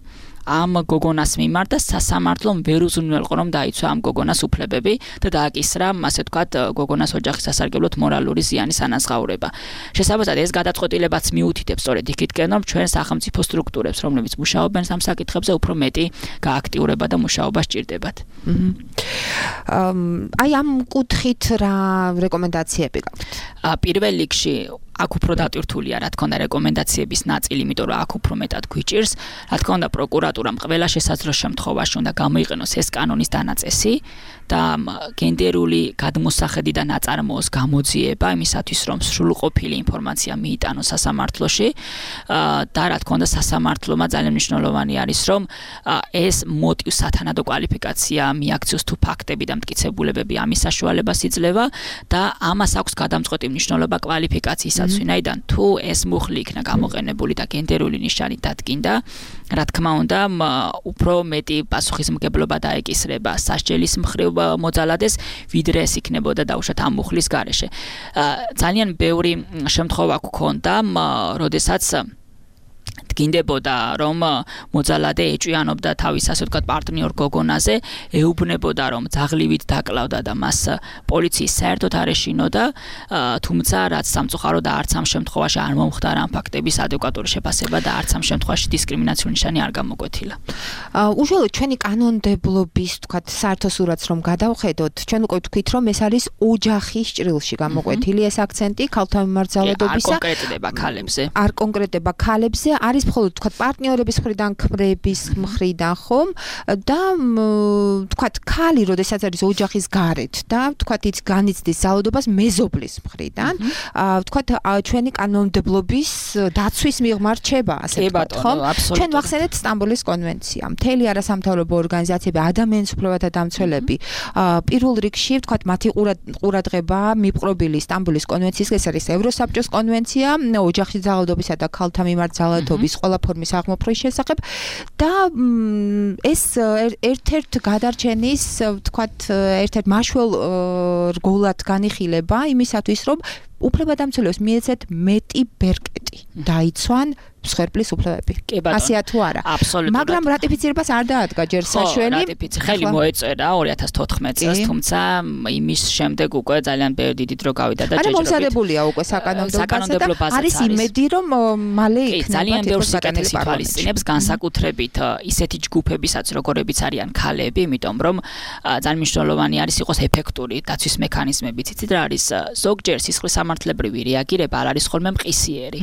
ამ გოგონას მიმართ და სასამართლომ ვერ უზრუნველყო, რომ დაიცვა ამ გოგონას უფლებები და დააკისრა, ასე ვთქვათ, გოგონას ოჯახის სასარგებლოდ მორალური ზიანის ანაზღაურება. შესაბამისად, ეს გადაწყვეტილებაც მიუთითებს სწორედ იქითკენ, რომ ჩვენ სახელმწიფო სტრუქტურებს, რომლებიც მუშაობენ ამ საკითხებზე, უფრო მეტი გააქტიურება და მუშაობა სჭირდებათ. აი ამ კუთხით რა რეკომენდაციები გაქვთ? პირველ რიგში აქ უფრო დატვირთულია, რა თქმა უნდა, რეკომენდაციების ნაწილი, იმიტომ რომ აქ უფრო მეტად გვიჭირს, რა თქმა უნდა, პროკურატურამ ყველა შესაძლო შემთხვევაში უნდა გამოიყენოს ეს კანონის დანაწესი და გენდერული გადმოსახედი და ნაწარმოოს გამოძიება იმისათვის, რომ სრულყოფილი ინფორმაცია მიიტანოს სასამართლოში და რა თქმა უნდა, სასამართლომა ძალიან მნიშვნელოვანი არის, რომ ეს მოტივს სათანადო კვალიფიკაცია მიაქციოს თუ ფაქტები და მტკიცებულებები ამის საშუალებას იძლევა და ამას აქვს გადამწყვეტი მნიშვნელობა კვალიფიკაციისა ვინაიდან თუ ეს მუხლი იქნა გამოყენებული და გენდერული ნიშანი დადგინდა, რა თქმა უნდა, უფრო მეტი პასუხისმგებლობა დაეკისრება სასჯელის მხრივ მოძალადეს, ვიდრე ეს იქნებოდა დაუშვათ ამ მუხლის გარეშე. ძალიან ბევრი შემთხვევა გქონდა, როდესაც დგინდებოდა, რომ მოძალადე ეჭვიანობდა თავის, ასე ვთქვათ, პარტნიორ გოგონაზე, ეუბნებოდა, რომ ძაღლივით დაკლავდა და მას პოლიციის საერთოდ არ ეშინოდა, თუმცა რაც სამწუხაროდ არც ამ შემთხვევაში არ მომხდარა ამ ფაქტების ადეკვატური შეფასება და არც ამ შემთხვევაში დისკრიმინაციული ნიშანი არ გამოკვეთილა. უშუალოდ ჩვენი კანონმდებლობის, ვთქვათ, საერთო სურათს რომ გადავხედოთ, ჩვენ უკვე ვთქვით, რომ ეს არის ოჯახის ჭრილში გამოკვეთილი ეს აქცენტი ქალთა მიმართ ძალადობისა. არ კონკრეტდება ქალებზე, არის მხოლოდ თქვათ პარტნიორების მხრიდან, ქმრების მხრიდან ხომ და თქვათ ქალი, როდესაც არის ოჯახის გარეთ და თქვათ ის განიცდის ძალადობას მეზობლის მხრიდან, თქვათ ჩვენი კანონმდებლობის დაცვის მიღმა რჩება, ასე ვთქვათ, ხომ? ჩვენ ვახსენეთ სტამბოლის კონვენცია. მთელი არასამთავრობო ორგანიზაციები, ადამიანის უფლებათა დამცველები, პირველ რიგში თქვათ მათი ყურადღება მიპყრობილი სტამბოლის კონვენციის, ეს არის ევროსაბჭოს კონვენცია ოჯახის ძალადობისა და ქალთა მიმართ ძალადობის ყველა ფორმის აღმოფხრის შესახებ და ეს ერთ-ერთ გადარჩენის, ვთქვათ, ერთ-ერთ მაშველ რგოლად განიხილება იმისათვის, რომ უფლებადამცველებს მიეცეთ მეტი ბერკეტი დაიცვან მსხვერპლის უფლებები. ასეა თუ არა? აბსოლუტურად. მაგრამ რატიფიცირებას არ დაადგა ჯერ საშველი. ხელი მოეწერა 2014 წელს, თუმცა იმის შემდეგ უკვე ძალიან ბევრი დიდი დრო გავიდა და ჯერჯერობით. მომზადებულია უკვე საკანონმდებლო ბაზა და არის იმედი, რომ მალე იქნება ძალიან ბევრი საკითხი თვალისწინებს, განსაკუთრებით ისეთი ჯგუფებისაც, როგორებიც არიან ქალები, იმიტომ რომ ძალიან მნიშვნელოვანი არის იყოს ეფექტური დაცვის მექანიზმებიც. იცით რა არის? ზოგჯერ სისხლის სამართლებრივი რეაგირება არ არის ხოლმე მყისიერი.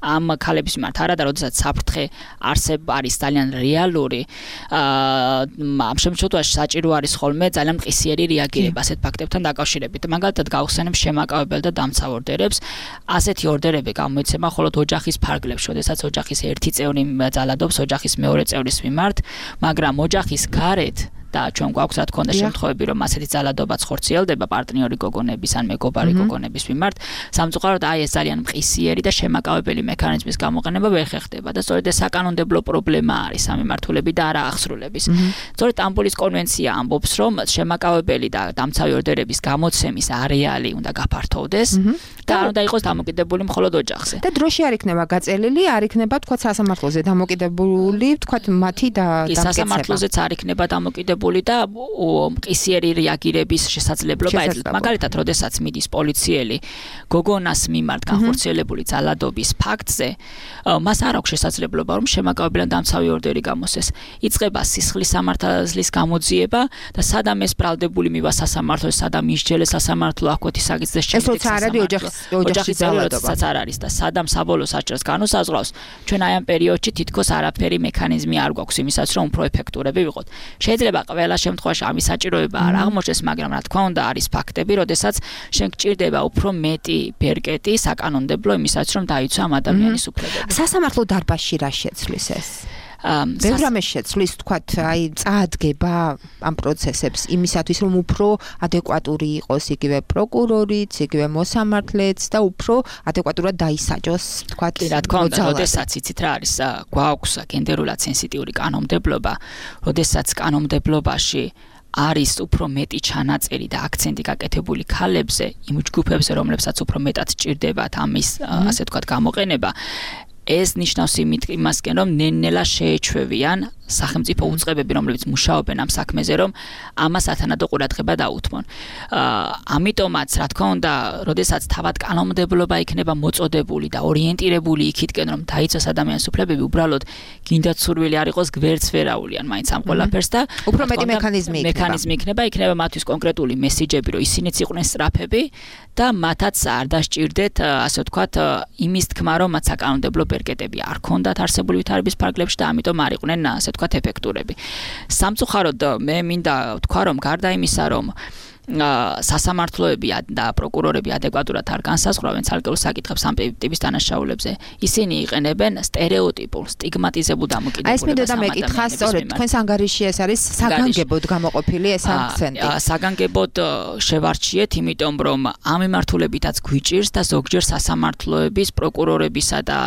ამ ქალების მიმართ არა და როდესაც საფრთხე არის ძალიან რეალური, ამ შემთხვევაში საჭირო არის ხოლმე ძალიან მყისიერი რეაგირება ასეთ ფაქტებთან დაკავშირებით. მაგალითად გავხსენებ შემაკავებელ და დამცავ ორდერებს. ასეთი ორდერები გამოიცემა მხოლოდ ოჯახის ფარგლებში, როდესაც ოჯახის ერთი წევრი ძალადობს ოჯახის მეორე წევრის მიმართ, მაგრამ ოჯახის გარეთ და ჩვენ გვაქვს რა თქმა უნდა შემთხვევები რომ ასეთი ძალადობაც ხორციელდება პარტნიორი გოგონების ან მეგობარი გოგონების მიმართ სამწუხაროდ აი ეს ძალიან მყისიერი და შემაკავებელი მექანიზმის გამოყენება ვერ ხერხდება და სწორედ ეს საკანონმდებლო პრობლემა არის სამმართველოები და არა აღსრულების სწორედ სტამბოლის კონვენცია ამბობს რომ შემაკავებელი და დამცავი ორდერების გამოცემის არეალი უნდა გაფართოვდეს და არ უნდა იყოს დამოკიდებული მხოლოდ ოჯახზე და დროში არ იქნება გაწელილი არ იქნება თქვა სასამართლოზე დამოკიდებული თქვა მათი და დამკეცება სასამართლოზეც არ იქნება დამოკიდებული და მყისიერი რეაგირების შესაძლებლობა ეძლევა მაგალითად როდესაც მიდის პოლიციელი გოგონას მიმართ განხორციელებული ძალადობის ფაქტზე მას არ აქვს შესაძლებლობა რომ შემაკავებელთან დამცავი ორდერი გამოსცეს იწყება სისხლის სამართლის გამოძიება და სადამ ეს ბრალდებული მივა სასამართლოს სადამ ისჯელეს სასამართლო აქვეთი საგიზდეს შემდეგ ეს არ არის ოჯახის ძალადობაც არ არის და სადამ საბოლოო საჭიროს განუსაზღვრავს ჩვენ აი ამ პერიოდში თითქოს არაფერი მექანიზმი არ გვაქვს იმისაც რომ უფრო ეფექტურები ვიყოთ შეიძლება ყველა შემთხვევაში ამის საჭიროება არ აღმოჩნდეს მაგრამ რა თქმა უნდა არის ფაქტები როდესაც შენ გჭირდება უფრო მეტი ბერკეტი საკანონმდებლო იმისაც რომ დაიცვა ამ ადამიანის უფლებები სასამართლო დარბაზში რა შეცვლის ეს ბევრ რამეს შეცვლის თქვათ აი წაადგება ამ პროცესებს იმისათვის რომ უფრო ადეკვატური იყოს იგივე პროკურორიც იგივე მოსამართლეც და უფრო ადეკვატურად დაისაჯოს თქვათ რა თქმა უნდა როდესაც იცით რა არის გვაქვს გენდერულად სენსიტიური კანონმდებლობა როდესაც კანონმდებლობაში არის უფრო მეტი ჩანაწერი და აქცენტი გაკეთებული ქალებზე იმ ჯგუფებზე რომლებსაც უფრო მეტად სჭირდებათ ამის ასე ვთქვათ გამოყენება ეს ნიშნავს იმასკენ რომ ნელ-ნელა შეეჩვევიან სახელმწიფო უწყებები რომლებიც მუშაობენ ამ საქმეზე რომ ამას ათანადო ყურადღება დაუთმონ. ამიტომაც რა თქმა უნდა, როდესაც თავად კანონმდებლობა იქნება მოწოდებული და ორიენტირებული იქითკენ რომ დაიცვას ადამიანის უფლებები, უბრალოდ გინდათ სურვილი არ იყოს გვერდს ვერაულიან მაინც ამ ყველაფერს და უფრო მეტი მექანიზმი იქნება მათთვის კონკრეტული მესიჯები რომ ისინიც იყვნენ სწრაფები და მათაც არ დასჭირდეთ ასე ვთქვათ იმის თქმა რომ მათ საკანონმდებლო ბერკეტები არ ქონდათ არსებული ვითარების ფარგლებში და ამიტომ არ იყვნენ ასე ვთქვათ ეფექტურები. სამწუხაროდ მე მინდა ვთქვა რომ გარდა იმისა რომ სასამართლოები და პროკურორები ადეკვატურად არ განსაზღვრავენ ცალკეულ საკითხებს ამ ტიპის დანაშაულებზე. ისინი იყენებენ სტერიოტიპულ, სტიგმატიზებულ დამოკიდებულებას. ეს მინდოდა მეკითხა, სწორედ თქვენს ანგარიში ეს არის საგანგებოდ გამოყოფილი ეს აქცენტი. საგანგებოდ შევარჩიეთ, იმიტომ რომ ამ მიმართულებითაც გვიჭირს და ზოგჯერ სასამართლოების, პროკურორებისა და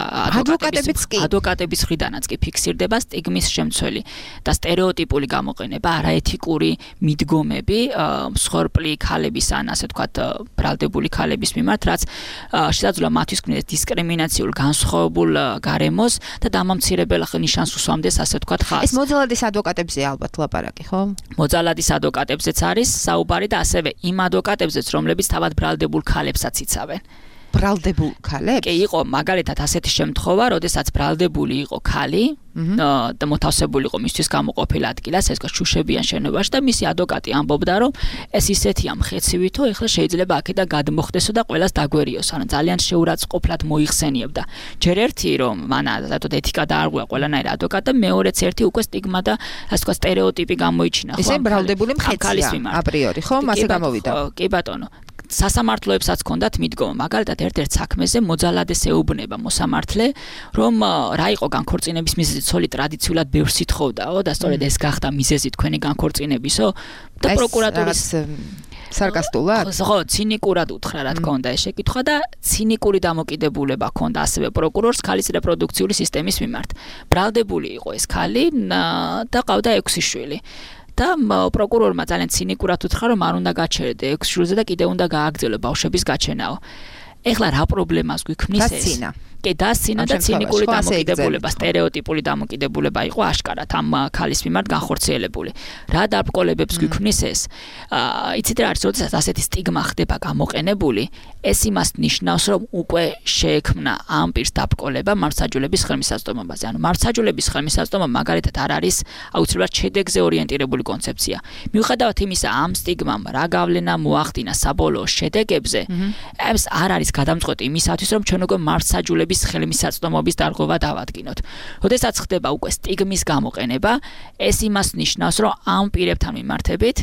ადვოკატების მხრიდანაც კი ფიქსირდება სტიგმის შემცველი და სტერიოტიპული გამოყენება, არაეთიკური მიდგომები მსხვერპლი ქალების ან ასე ვთქვათ ბრალდებული ქალების მიმართ, რაც შესაძლოა მათთვის ქმნიდეს დისკრიმინაციულ განსხვავებულ გარემოს და დამამცირებელ ნიშანს უსვამდეს ასე ვთქვათ ხალხს. ეს მოძალადის ადვოკატებზე ალბათ ლაპარაკი, ხო? მოძალადის ადვოკატებზეც არის საუბარი და ასევე იმ ადვოკატებზეც, რომლებიც თავად ბრალდებულ ქალებსაც იცავენ. ბრალდებულ ქალებს? კი, იყო მაგალითად ასეთი შემთხვევა, როდესაც ბრალდებული იყო ქალი და მოთავსებული იყო მისთვის გამოყოფილ ადგილას, ეს შუშებიან შენობაში და მისი ადვოკატი ამბობდა, რომ ეს ისეთია მხეცივითო, ეხლა შეიძლება აქედან გადმოხდესო და ყველას დაგვერიოს, ანუ ძალიან შეურაცხყოფლად მოიხსენიებდა. ჯერ ერთი რომ მანა ზოგადად ეთიკა დაარღვია ყველანაირ ადვოკატს და მეორეც ერთი უკვე სტიგმა და ასე ვთქვათ სტერეოტიპი გამოიჩინა, ხო? ესე ბრალდებული მხეცია აპრიორი, ხო? მასე გამოვიდა. კი ბატონო. სასამართლოებსაც ჰქონდათ მიდგომა, მაგალითად ერთ-ერთ საქმეზე მოძალადეს ეუბნება მოსამართლე, რომ რა იყო განქორწინების მიზეზი, ცოლი ტრადიციულად ბევრს ითხოვდაო და სწორედ ეს გახდა მიზეზი თქვენი განქორწინებისო და პროკურატურის სარკასტულად? ხო, ცინიკურად უთხრა რა თქმა უნდა ეს შეკითხვა და ცინიკური დამოკიდებულება ჰქონდა ასევე პროკურორს ქალის რეპროდუქციული სისტემის მიმართ. ბრალდებული იყო ეს ქალი და ყავდა 6 შვილი. და პროკურორმა ძალიან ცინიკურად უთხრა რომ არ უნდა გაჩერდე 6 შვილზე და კიდევ უნდა გააგრძელო ბავშვების გაჩენაო. ეხლა რა პრობლემას გვიქმნის ეს? კი დასცინა და ცინიკური დამოკიდებულება, სტერეოტიპული დამოკიდებულება იყო აშკარად ამ ქალის მიმართ განხორციელებული. რა დაბრკოლებებს გვიქმნის ეს? იცით რა არის, როდესაც ასეთი სტიგმა ხდება გამოყენებული, ეს იმას ნიშნავს, რომ უკვე შეექმნა ამ პირს დაბრკოლება მართლმსაჯულების ხელმისაწვდომობაზე. ანუ მართლმსაჯულების ხელმისაწვდომობა მაგალითად არ არის აუცილებლად შედეგზე ორიენტირებული კონცეფცია. მიუხედავად იმისა, ამ სტიგმამ რა გავლენა მოახდინა საბოლოო შედეგებზე, ეს არ არის გადამწყვეტი იმისათვის, რომ ჩვენ უკვე მართლმსაჯულების ხელმისაწვდომობის დარღვევა დავადგინოთ. როდესაც ხდება უკვე სტიგმის გამოყენება, ეს იმას ნიშნავს, რომ ამ პირებთან მიმართებით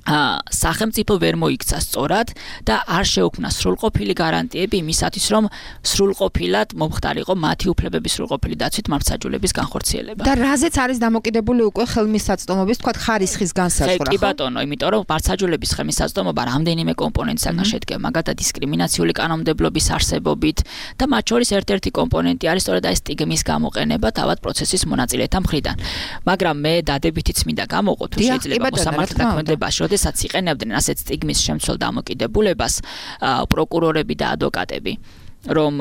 სახელმწიფო ვერ მოიქცა სწორად და არ შეუქმნა სრულყოფილი გარანტიები იმისათვის, რომ სრულყოფილად მომხდარიყო მათი უფლებების სრულყოფილი დაცვით მართლმსაჯულების განხორციელება. და რაზეც არის დამოკიდებული უკვე ხელმისაწვდომობის, თქვათ, ხარისხის განსაზღვრა, ხო? კი ბატონო, იმიტომ რომ მართლმსაჯულების ხელმისაწვდომობა რამდენიმე კომპონენტისაგან შედგება, მაგალითად დისკრიმინაციული კანონმდებლობის არსებობით და მათ შორის ერთ-ერთი კომპონენტი არის სწორედ ეს სტიგმის გამოყენება თავად პროცესის მონაწილეთა მხრიდან. მაგრამ მე დადებითიც მინდა გამოვყო თუ შეიძლება მოსამართლე დაქმედებაში, როდესაც იყენებდნენ ასეთ სტიგმის შემცველ დამოკიდებულებას პროკურორები და ადვოკატები, რომ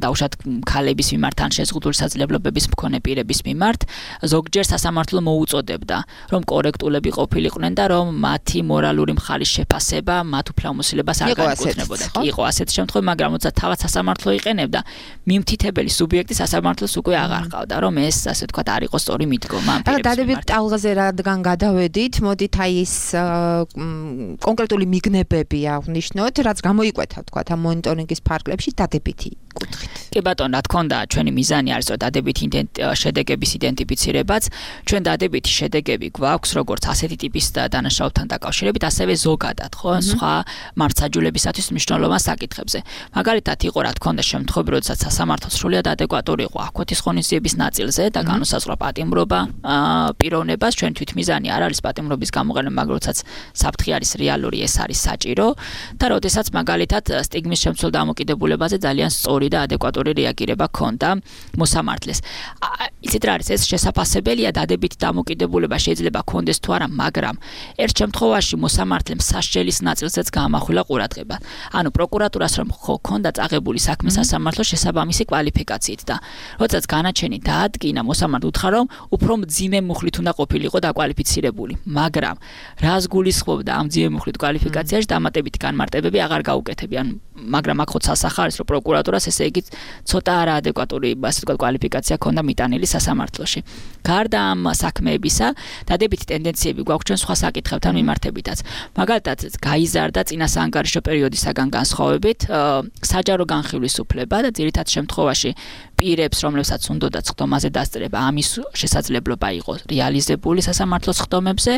დაუშვათ ქალების მიმართ ან შეზღუდული საძლებლობების მქონე პირების მიმართ ზოგჯერ სასამართლო მოუწოდებდა, რომ კორექტულები ყოფილიყვნენ და რომ მათი მორალური მხარის შეფასება მათ უფლებამოსილებას არ განეკუთვნებოდა. კი იყო ასეთი შემთხვევა, მაგრამ როცა თავად სასამართლო იყენებდა, მიმთითებელი სუბიექტი სასამართლოს უკვე აღარ ყავდა, რომ ეს ასე ვთქვათ არ იყო სწორი მიდგომა ამ პირების მიმართ. დადებით ტალღაზე რადგან გადავედით, მოდით აი ეს კონკრეტული მიგნებები აღნიშნოთ, რაც გამოიკვეთა ვთქვათ ამ მონიტორინგის ფარგლებში დადებითი კუთხით. კი ბატონო, რა თქმა უნდა, ჩვენი მიზანი არის რომ დადებითი შედეგების იდენტიფიცირებაც, ჩვენ დადებითი შედეგები გვაქვს როგორც ასეთი ტიპის დანაშაულთან დაკავშირებით, ასევე ზოგადად, ხო, სხვა მართლმსაჯულებისათვის მნიშვნელოვან საკითხებზე. მაგალითად, იყო რა თქმა უნდა შემთხვევები, როდესაც სასამართლო სრულიად ადეკვატური იყო ახლოთის ღონისძიების ნაწილზე და განუსაზღვრა პატიმრობა პიროვნებას, ჩვენ თვითმიზანი არ არის პატიმრობის გამოყენება, მაგრამ როდესაც საფრთხე არის რეალური, ეს არის საჭირო და როდესაც მაგალითად სტიგმის შემცველ დამოკიდებულებაზე ძალიან სწორი და ადეკვატური რეაგირება ჰქონდა მოსამართლეს. იცით რა არის, ეს შესაძლებელია დადებითი დამოკიდებულება შეიძლება ჰქონდეს თუ არა, მაგრამ ერთ შემთხვევაში მოსამართლემ სასჯელის ნაწილზეც გაამახვილა ყურადღება. ანუ პროკურატურას რომ ჰქონდა წაღებული საქმე სასამართლოს შესაბამისი კვალიფიკაციით და როდესაც განაჩენი დაადგინა, მოსამართლე უთხრა, რომ უფრო მძიმე მუხლით უნდა ყოფილიყო დაკვალიფიცირებული, მაგრამ რას გულისხმობდა ამ მძიმე მუხლით კვალიფიკაციაში დამატებითი განმარტებები აღარ გაუკეთებიან, მაგრამ აქ ხო სასახა არის, რომ პროკურატურას ესე იგი ცოტა არაადეკვატური, ასე ვთქვათ, კვალიფიკაცია ჰქონდა მიტანილი სასამართლოში. გარდა ამ საქმეებისა, დადებითი ტენდენციები გვაქვს ჩვენ სხვა საკითხებთან მიმართებითაც. მაგალითად, გაიზარდა წინასაანგარიშო პერიოდისაგან განსხვავებით საჯარო განხილვის უფლება და ძირითად შემთხვევაში პირებს, რომლებსაც უნდათ ხდომაზე დასწრება, ამის შესაძლებლობა იყო რეალიზებული სასამართლოს ხდომებზე.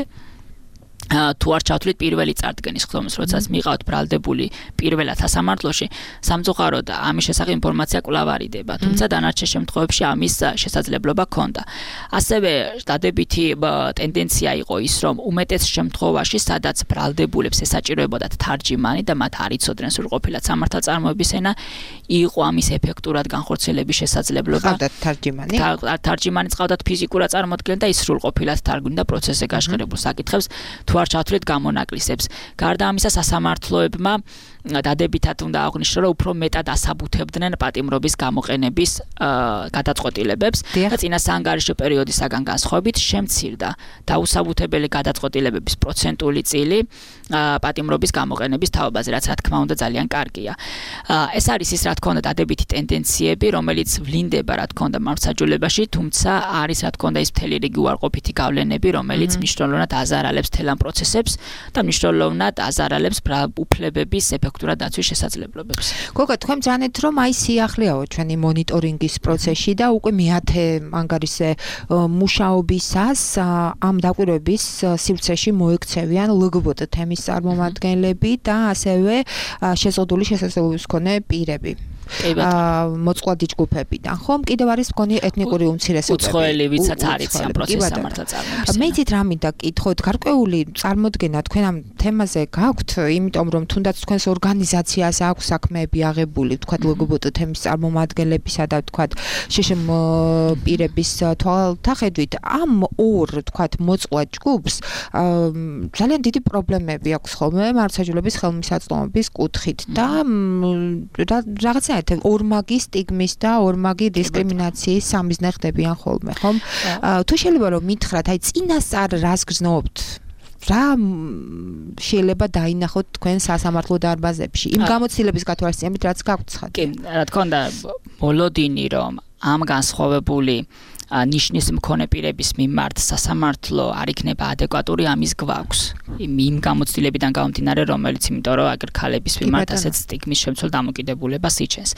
თუ არ ჩავთვლით პირველი წარდგენის ხდომას, როდესაც მიყავთ ბრალდებული პირველად სასამართლოში, სამწუხაროდ ამის შესახებ ინფორმაცია კვლავ არიდება, თუმცა დანარჩენ შემთხვევებში ამის შესაძლებლობა ჰქონდა. ასევე დადებითი ტენდენცია იყო ის, რომ უმეტეს შემთხვევაში, სადაც ბრალდებულებს ესაჭიროებოდათ თარჯიმანი და მათ არ იცოდნენ სრულყოფილად სამართალწარმოების ენა, იყო ამის ეფექტურად განხორციელების შესაძლებლობა. ყავდათ თარჯიმანი? თარჯიმანიც ყავდათ ფიზიკურად წარმოადგენენ და ის სრულყოფილად თარგმნიდა პროცესზე გაშღერებულ საკითხებს. თუ არ ჩავთვლით გამონაკლისებს. გარდა ამისა, სასამართლოებმა დადებითად უნდა აღნიშნო, რომ უფრო მეტად ასაბუთებდნენ პატიმრობის გამოყენების გადაწყვეტილებებს და წინასაანგარიშო პერიოდისაგან განსხვავებით შემცირდა დაუსაბუთებელი გადაწყვეტილებების პროცენტული წილი პატიმრობის გამოყენების თაობაზე, რაც რა თქმა უნდა ძალიან კარგია. ეს არის ის, რა თქმა უნდა, დადებითი ტენდენციები, რომელიც ვლინდება, რა თქმა უნდა, მართლმსაჯულებაში, თუმცა არის, რა თქმა უნდა, ის მთელი რიგი უარყოფითი გავლენები, რომელიც მნიშვნელოვნად აზარალებს თელ ამ პროცესებს და მნიშვნელოვნად აზარალებს უფლებების ეფექტურად დაცვის შესაძლებლობებს. გოგა, თქვენ ძანეთ, რომ აი სიახლეაო ჩვენი მონიტორინგის პროცესში და უკვე მეათე ანგარიშზე მუშაობისას ამ დაკვირვების სივრცეში მოექცევიან LGBT თემის წარმომადგენლები და ასევე შეზღუდული შესაძლებლობის მქონე პირები. მოწყვლადი ჯგუფებიდან, ხომ? კიდევ არის მქონე ეთნიკური უმცირესობები. უცხოელი, ვისაც არ იცი ამ პროცესს სამართალწარმოების. მე იცით რა მინდა კითხოთ, გარკვეული წარმოდგენა თქვენ ამ თემაზე გაქვთ, იმიტომ რომ თუნდაც თქვენს ორგანიზაციას აქვს საქმეები აღებული, თქვათ LGBT თემის წარმომადგენლებისა და თქვათ შშმ პირების თვალთახედვით, ამ ორ თქვათ მოწყვლად ჯგუფს ძალიან დიდი პრობლემები აქვს ხოლმე მართლმსაჯულების ხელმისაწვდომობის კუთხით და რაღაცა ორმაგი სტიგმის და ორმაგი დისკრიმინაციის სამიზნე ხდებიან ხოლმე, ხომ? თუ შეიძლება რომ მითხრათ, აი წინასწარ რას გრძნობთ? რა შეიძლება დაინახოთ თქვენ სასამართლო დარბაზებში? იმ გამოცდილების გათვალისწინებით, რაც გაგვცხადეთ. კი, რა თქმა უნდა, მოლოდინი რომ ამ განსხვავებული ნიშნის მქონე პირების მიმართ სასამართლო არ იქნება ადეკვატური, ამის გვაქვს. იმ გამოცდილებიდან გამომდინარე, რომელიც იმიტომ რომ აგერ ქალების მიმართ ასეთ სტიგმის შემცველ დამოკიდებულებას იჩენს.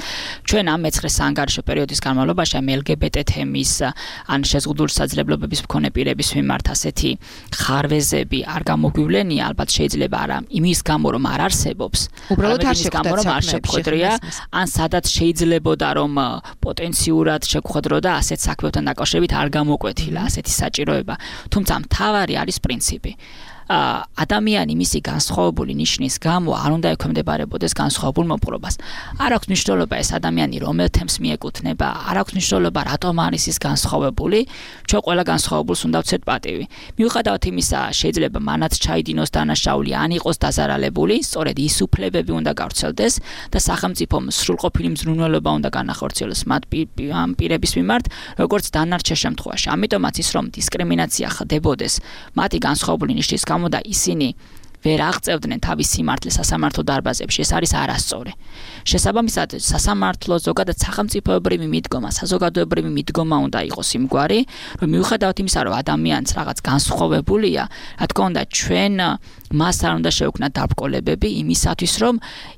ჩვენ ამ მეცხრე საანგარიშო პერიოდის განმავლობაში ამ LGBT თემის ან შეზღუდული საძლებლობების მქონე პირების მიმართ ასეთი ხარვეზები არ გამოგვივლენია, ალბათ შეიძლება არა იმის გამო რომ არ არსებობს, უბრალოდ არ შეგვხვედრია, ან სადაც შეიძლებოდა რომ პოტენციურად შეგვხვედროდა ასეთ საქმეებთან დაკავშირებით არ გამოკვეთილა ასეთი საჭიროება. თუმცა მთავარი არის პრინციპი. ადამიანი მისი განსხვავებული ნიშნის გამო არ უნდა ექვემდებარებოდეს განსხვავებულ მოპყრობას. არ აქვს მნიშვნელობა ეს ადამიანი რომელ თემს მიეკუთვნება, არ აქვს მნიშვნელობა რატომ არის ის განსხვავებული, ჩვენ ყველა განსხვავებულს უნდა ვცეთ პატივი. მიუხედავად იმისა, შეიძლება მანაც ჩაიდინოს დანაშაული, ან იყოს დაზარალებული, სწორედ ის უფლებები უნდა გავრცელდეს და სახელმწიფომ სრულყოფილი მზრუნველობა უნდა განახორციელოს მათ პირების მიმართ, როგორც დანარჩენ შემთხვევაში. ამიტომაც ის რომ დისკრიმინაცია ხდებოდეს მათი განსხვავებული ნიშნის გამო და ისინი ვერ აღწევდნენ თავის სიმართლეს სასამართლო დარბაზებში, ეს არის არასწორი. შესაბამისად, სასამართლო ზოგადად სახელმწიფოებრივი მიდგომა, საზოგადოებრივი მიდგომა უნდა იყოს იმგვარი, რომ მიუხედავად იმისა, რომ ადამიანს რაღაც განსხვავებულია, რა თქმა უნდა, ჩვენ მას არ უნდა შევქმნათ დაბრკოლებები იმისათვის, რომ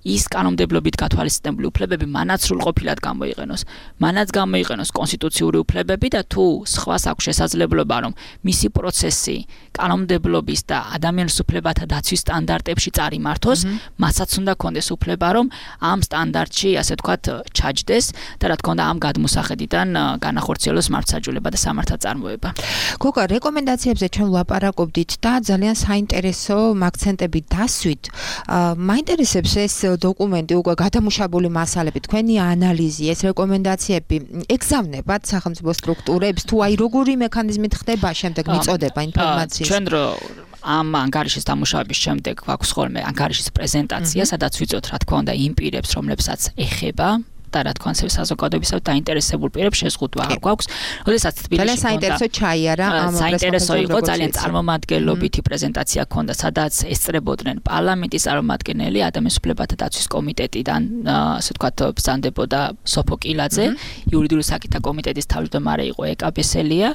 ის კანონმდებლობით გათვალისწინებული უფლებები მანაც სრულყოფილად გამოიყენოს. მანაც გამოიყენოს კონსტიტუციური უფლებები და თუ სხვას აქვს შესაძლებლობა, რომ მისი პროცესი კანონმდებლობის და ადამიანის უფლებათა დაცვის სტანდარტებში წარიმართოს, მასაც უნდა კონდეს უფლება, რომ ამ სტანდარტში, ასე ვთქვათ, ჩაჯდეს და რა თქმა უნდა, ამ გადმოსახედიდან განახორციელოს მართლმსაჯულება და სამართალწარმოება. გოგა, რეკომენდაციებზე ჩვენ ვლაპარაკობდით და ძალიან საინტერესო აქცენტები დასვით. მაინტერესებს ეს დოკუმენტი, უკვე გადამუშავებული მასალები, თქვენი ანალიზი, ეს რეკომენდაციები ეგზავნებათ სახელმწიფო სტრუქტურებს, თუ აი როგორი მექანიზმით ხდება შემდეგ მიწოდება ინფორმაციის. ჩვენ ამ ანგარიშის დამუშავების შემდეგ გვაქვს ხოლმე ანგარიშის პრეზენტაცია, სადაც ვიწოთ, რა თქმა უნდა, იმ პირებს, რომლებსაც ეხება და რა თქმა უნდა, საზოგადოებისათვის დაინტერესებულ პირებს შეზღუდვა გვაქვს. როდესაც თბილისში ძალიან საინტერესო ჩაიარა ამ საინტერესო იყო, ძალიან წარმომადგენლობითი პრეზენტაცია ჰქონდა, სადაც ესწრებოდნენ პარლამენტის წარმომადგენელი, ადამიანის უფლებათა დაცვის კომიტეტიდან, ასე ვთქვათ, ბრძანდებოდა სოფო კილაძე, იურიდიული საკითხთა კომიტეტის თავმჯდომარე იყო ეკა ბესელია,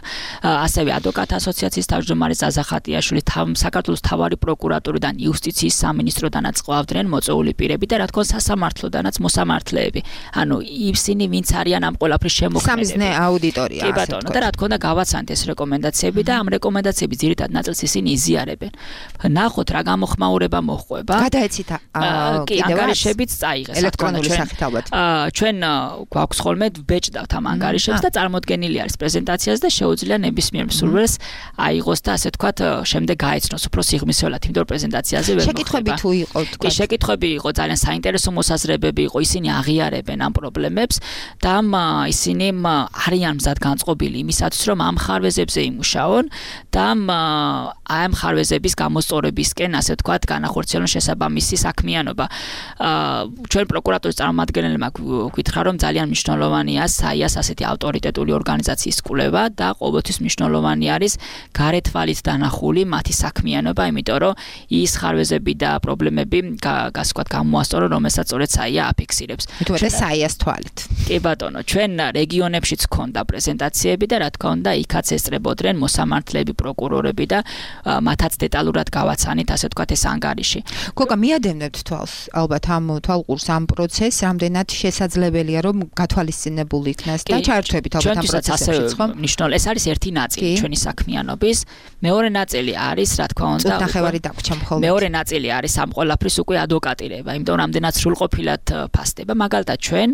ასევე ადვოკატთა ასოციაციის თავმჯდომარე ზაზა ხატიაშვილი, საქართველოს მთავარი პროკურატურიდან, იუსტიციის სამინისტროდანაც ყავდნენ მოწვეული პირები და რა თქმა უნდა, სასამართლოდანაც მოსამართლეები. ისინი ვინც არიან ამ ყველაფრის შემოქმედები. სამიზნე აუდიტორია. კი ბატონო, და რა თქმა უნდა გავაცანთ ეს რეკომენდაციები და ამ რეკომენდაციების ძირითად ნაწილს ისინი იზიარებენ. ნახოთ რა გამოხმაურება მოჰყვება. გადაეცით კიდევ ანგარიშებიც წაიღეს ელექტრონული სახით ალბათ. ჩვენ გვაქვს ხოლმე ვბეჭდავთ ამ ანგარიშებს და წარმოდგენილი არის პრეზენტაციაზე და შეუძლია nebismier მსურველს აიღოს და ასე თქვათ შემდეგ გაეცნოს უფრო სიღრმისეულად, იმიტომ რომ პრეზენტაციაზე ვერ მოხდება. შეკითხვები თუ იყო თქვა. კი, შეკითხვები იყო, ძალიან საინტერესო მოსაზრებები იყო, ისინი აღიარებენ ამ პრობლემებს და ისინი არიან მზად განწყობილი იმისათვის, რომ ამ ხარვეზებზე იმუშაონ და ამ ხარვეზების გამოსწორებისკენ, ასე ვთქვათ, განახორციელონ შესაბამისი საქმიანობა. ჩვენ პროკურატურის წარმომადგენლებმა გვითხრა, რომ ძალიან მნიშვნელოვანია SAIA-ს ასეთი ავტორიტეტული ორგანიზაციის კვლევა და ყოველთვის მნიშვნელოვანი არის გარეთვალით დანახული მათი საქმიანობა, იმიტომ რომ ის ხარვეზები და პრობლემები გასვათ გამოასწორონ, რომელსაც სწორედ SAIA აფიქსირებს. SAIA-ს თვალით. კი ბატონო, ჩვენ რეგიონებშიც ქონდა პრეზენტაციები და რა თქმა უნდა, იქაც ესწრებოდნენ მოსამართლეები, პროკურორები და მათაც დეტალურად გავაცანით, ასე ვთქვათ, ეს ანგარიში. გოგა, მიადევნებთ თვალს, ალბათ ამ თვალყურს ამ პროცესს, რამდენად შესაძლებელია, რომ გათვალისწინებული იქნას და ჩაერთვებით ალბათ ამ პროცესებში, ხო? მნიშვნელოვანი, ეს არის ერთი ნაწილი ჩვენი საქმიანობის. მეორე ნაწილი არის, რა თქმა უნდა, ნახევარი დაგვრჩა მხოლოდ. მეორე ნაწილი არის ამ ყველაფრის უკვე ადვოკატირება, იმიტომ რომ რამდენად სრულყოფილად ფასდება, მაგალითად ჩვენ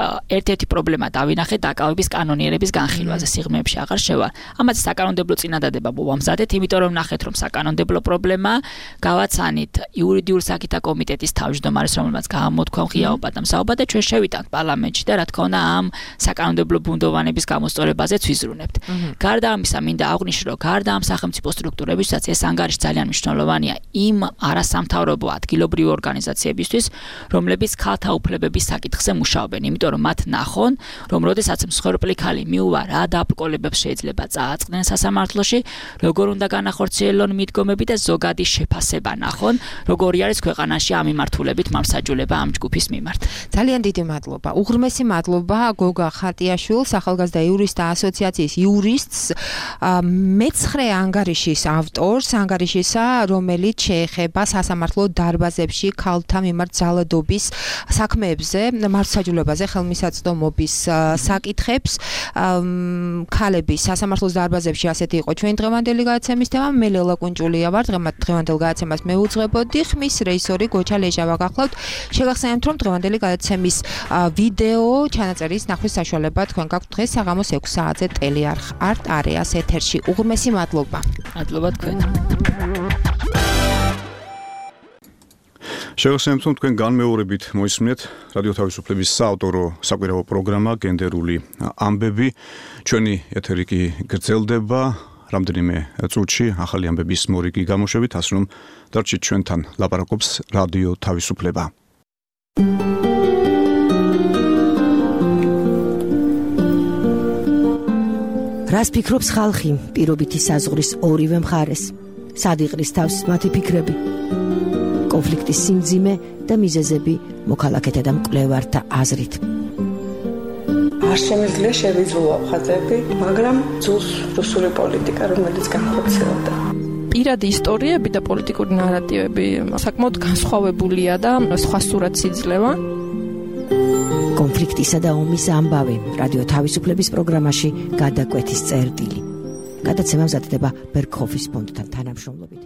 ერთ-ერთი პრობლემა დავინახეთ დაკავების კანონიერების განხილვაზე, სიღრმეებში აღარ შევა. ამაზე საკანონმდებლო წინადადება მოვამზადეთ, იმიტომ რომ ნახეთ, რომ საკანონმდებლო პრობლემა გავაცანით იურიდიული საკითხთა კომიტეტის თავმჯდომარეს, რომელმაც გამოთქვა ღიაობა და მსაუბა და ჩვენ შევიტანთ პარლამენტში და რა თქმა უნდა ამ საკანონმდებლო ბუნდოვანების გამოსწორებაზეც ვიზრუნებთ. გარდა ამისა, მინდა აღვნიშნო, რომ გარდა ამ სახელმწიფო სტრუქტურებისთვისაც ეს ანგარიში ძალიან მნიშვნელოვანია იმ არასამთავრობო ადგილობრივი ორგანიზაციებისთვის, რომლებიც ქალთა უფლებების საკითხზე მუშაობენ. მუშაობენ, იმიტომ რომ მათ ნახონ, რომ როდესაც მსხვერპლი ქალი მიუვა რა დაბრკოლებებს შეიძლება წააწყდნენ სასამართლოში, როგორ უნდა განახორციელონ მიდგომები და ზოგადი შეფასება ნახონ, როგორი არის ქვეყანაში ამ მიმართულებით მამსაჯულება ამ ჯგუფის მიმართ. ძალიან დიდი მადლობა. უღრმესი მადლობა გოგა ხატიაშვილს, ახალგაზრდა იურისტთა ასოციაციის იურისტს, მეცხრე ანგარიშის ავტორს, ანგარიშისა, რომელიც შეეხება სასამართლო დარბაზებში ქალთა მიმართ ძალადობის საქმეებზე, მართლმსაჯულებაზე, ხელმისაწვდომობის საკითხებს. ქალების სასამართლოს დარბაზებში ასეთი იყო ჩვენი დღევანდელი გადაცემის თემა. მე ლელა კუნჭულია ვარ, დღევანდელ გადაცემას მე უძღვებოდი, ხმის რეჟისორი გოჩა ლეჟავა გახლავთ. შეგახსენებთ, რომ დღევანდელი გადაცემის ვიდეო ჩანაწერის ნახვის საშუალება თქვენ გაქვთ დღეს საღამოს 6 საათზე ტელეარხ არტ არეას ეთერში. უღრმესი მადლობა. მადლობა თქვენ. შეგახსენებთ, რომ თქვენ განმეორებით მოისმინეთ რადიო თავისუფლების საავტორო საკვირაო პროგრამა გენდერული ამბები. ჩვენი ეთერი კი გრძელდება რამდენიმე წუთში ახალი ამბების მორიგი გამოშვებით, ასე რომ დარჩით ჩვენთან, ლაპარაკობს რადიო თავისუფლება. რას ფიქრობს ხალხი პირობითი საზღვრის ორივე მხარეს? სად იყრის თავს მათი ფიქრები? კონფლიქტის სიმძიმე და მიზეზები მოქალაქეთა და მკვლევართა აზრით. არ შემიძლია შევიძულო ხაზები, მაგრამ ძულს რუსული პოლიტიკა, რომელიც განხორციელდა. პირადი ისტორიები და პოლიტიკური ნარატივები საკმაოდ განსხვავებულია და სხვა სურათს იძლევა. კონფლიქტისა და ომის ამბავი რადიო თავისუფლების პროგრამაში გადაკვეთის წერტილი. გადაცემა მზადდება ბერგჰოფის ფონდთან თანამშრომლობით.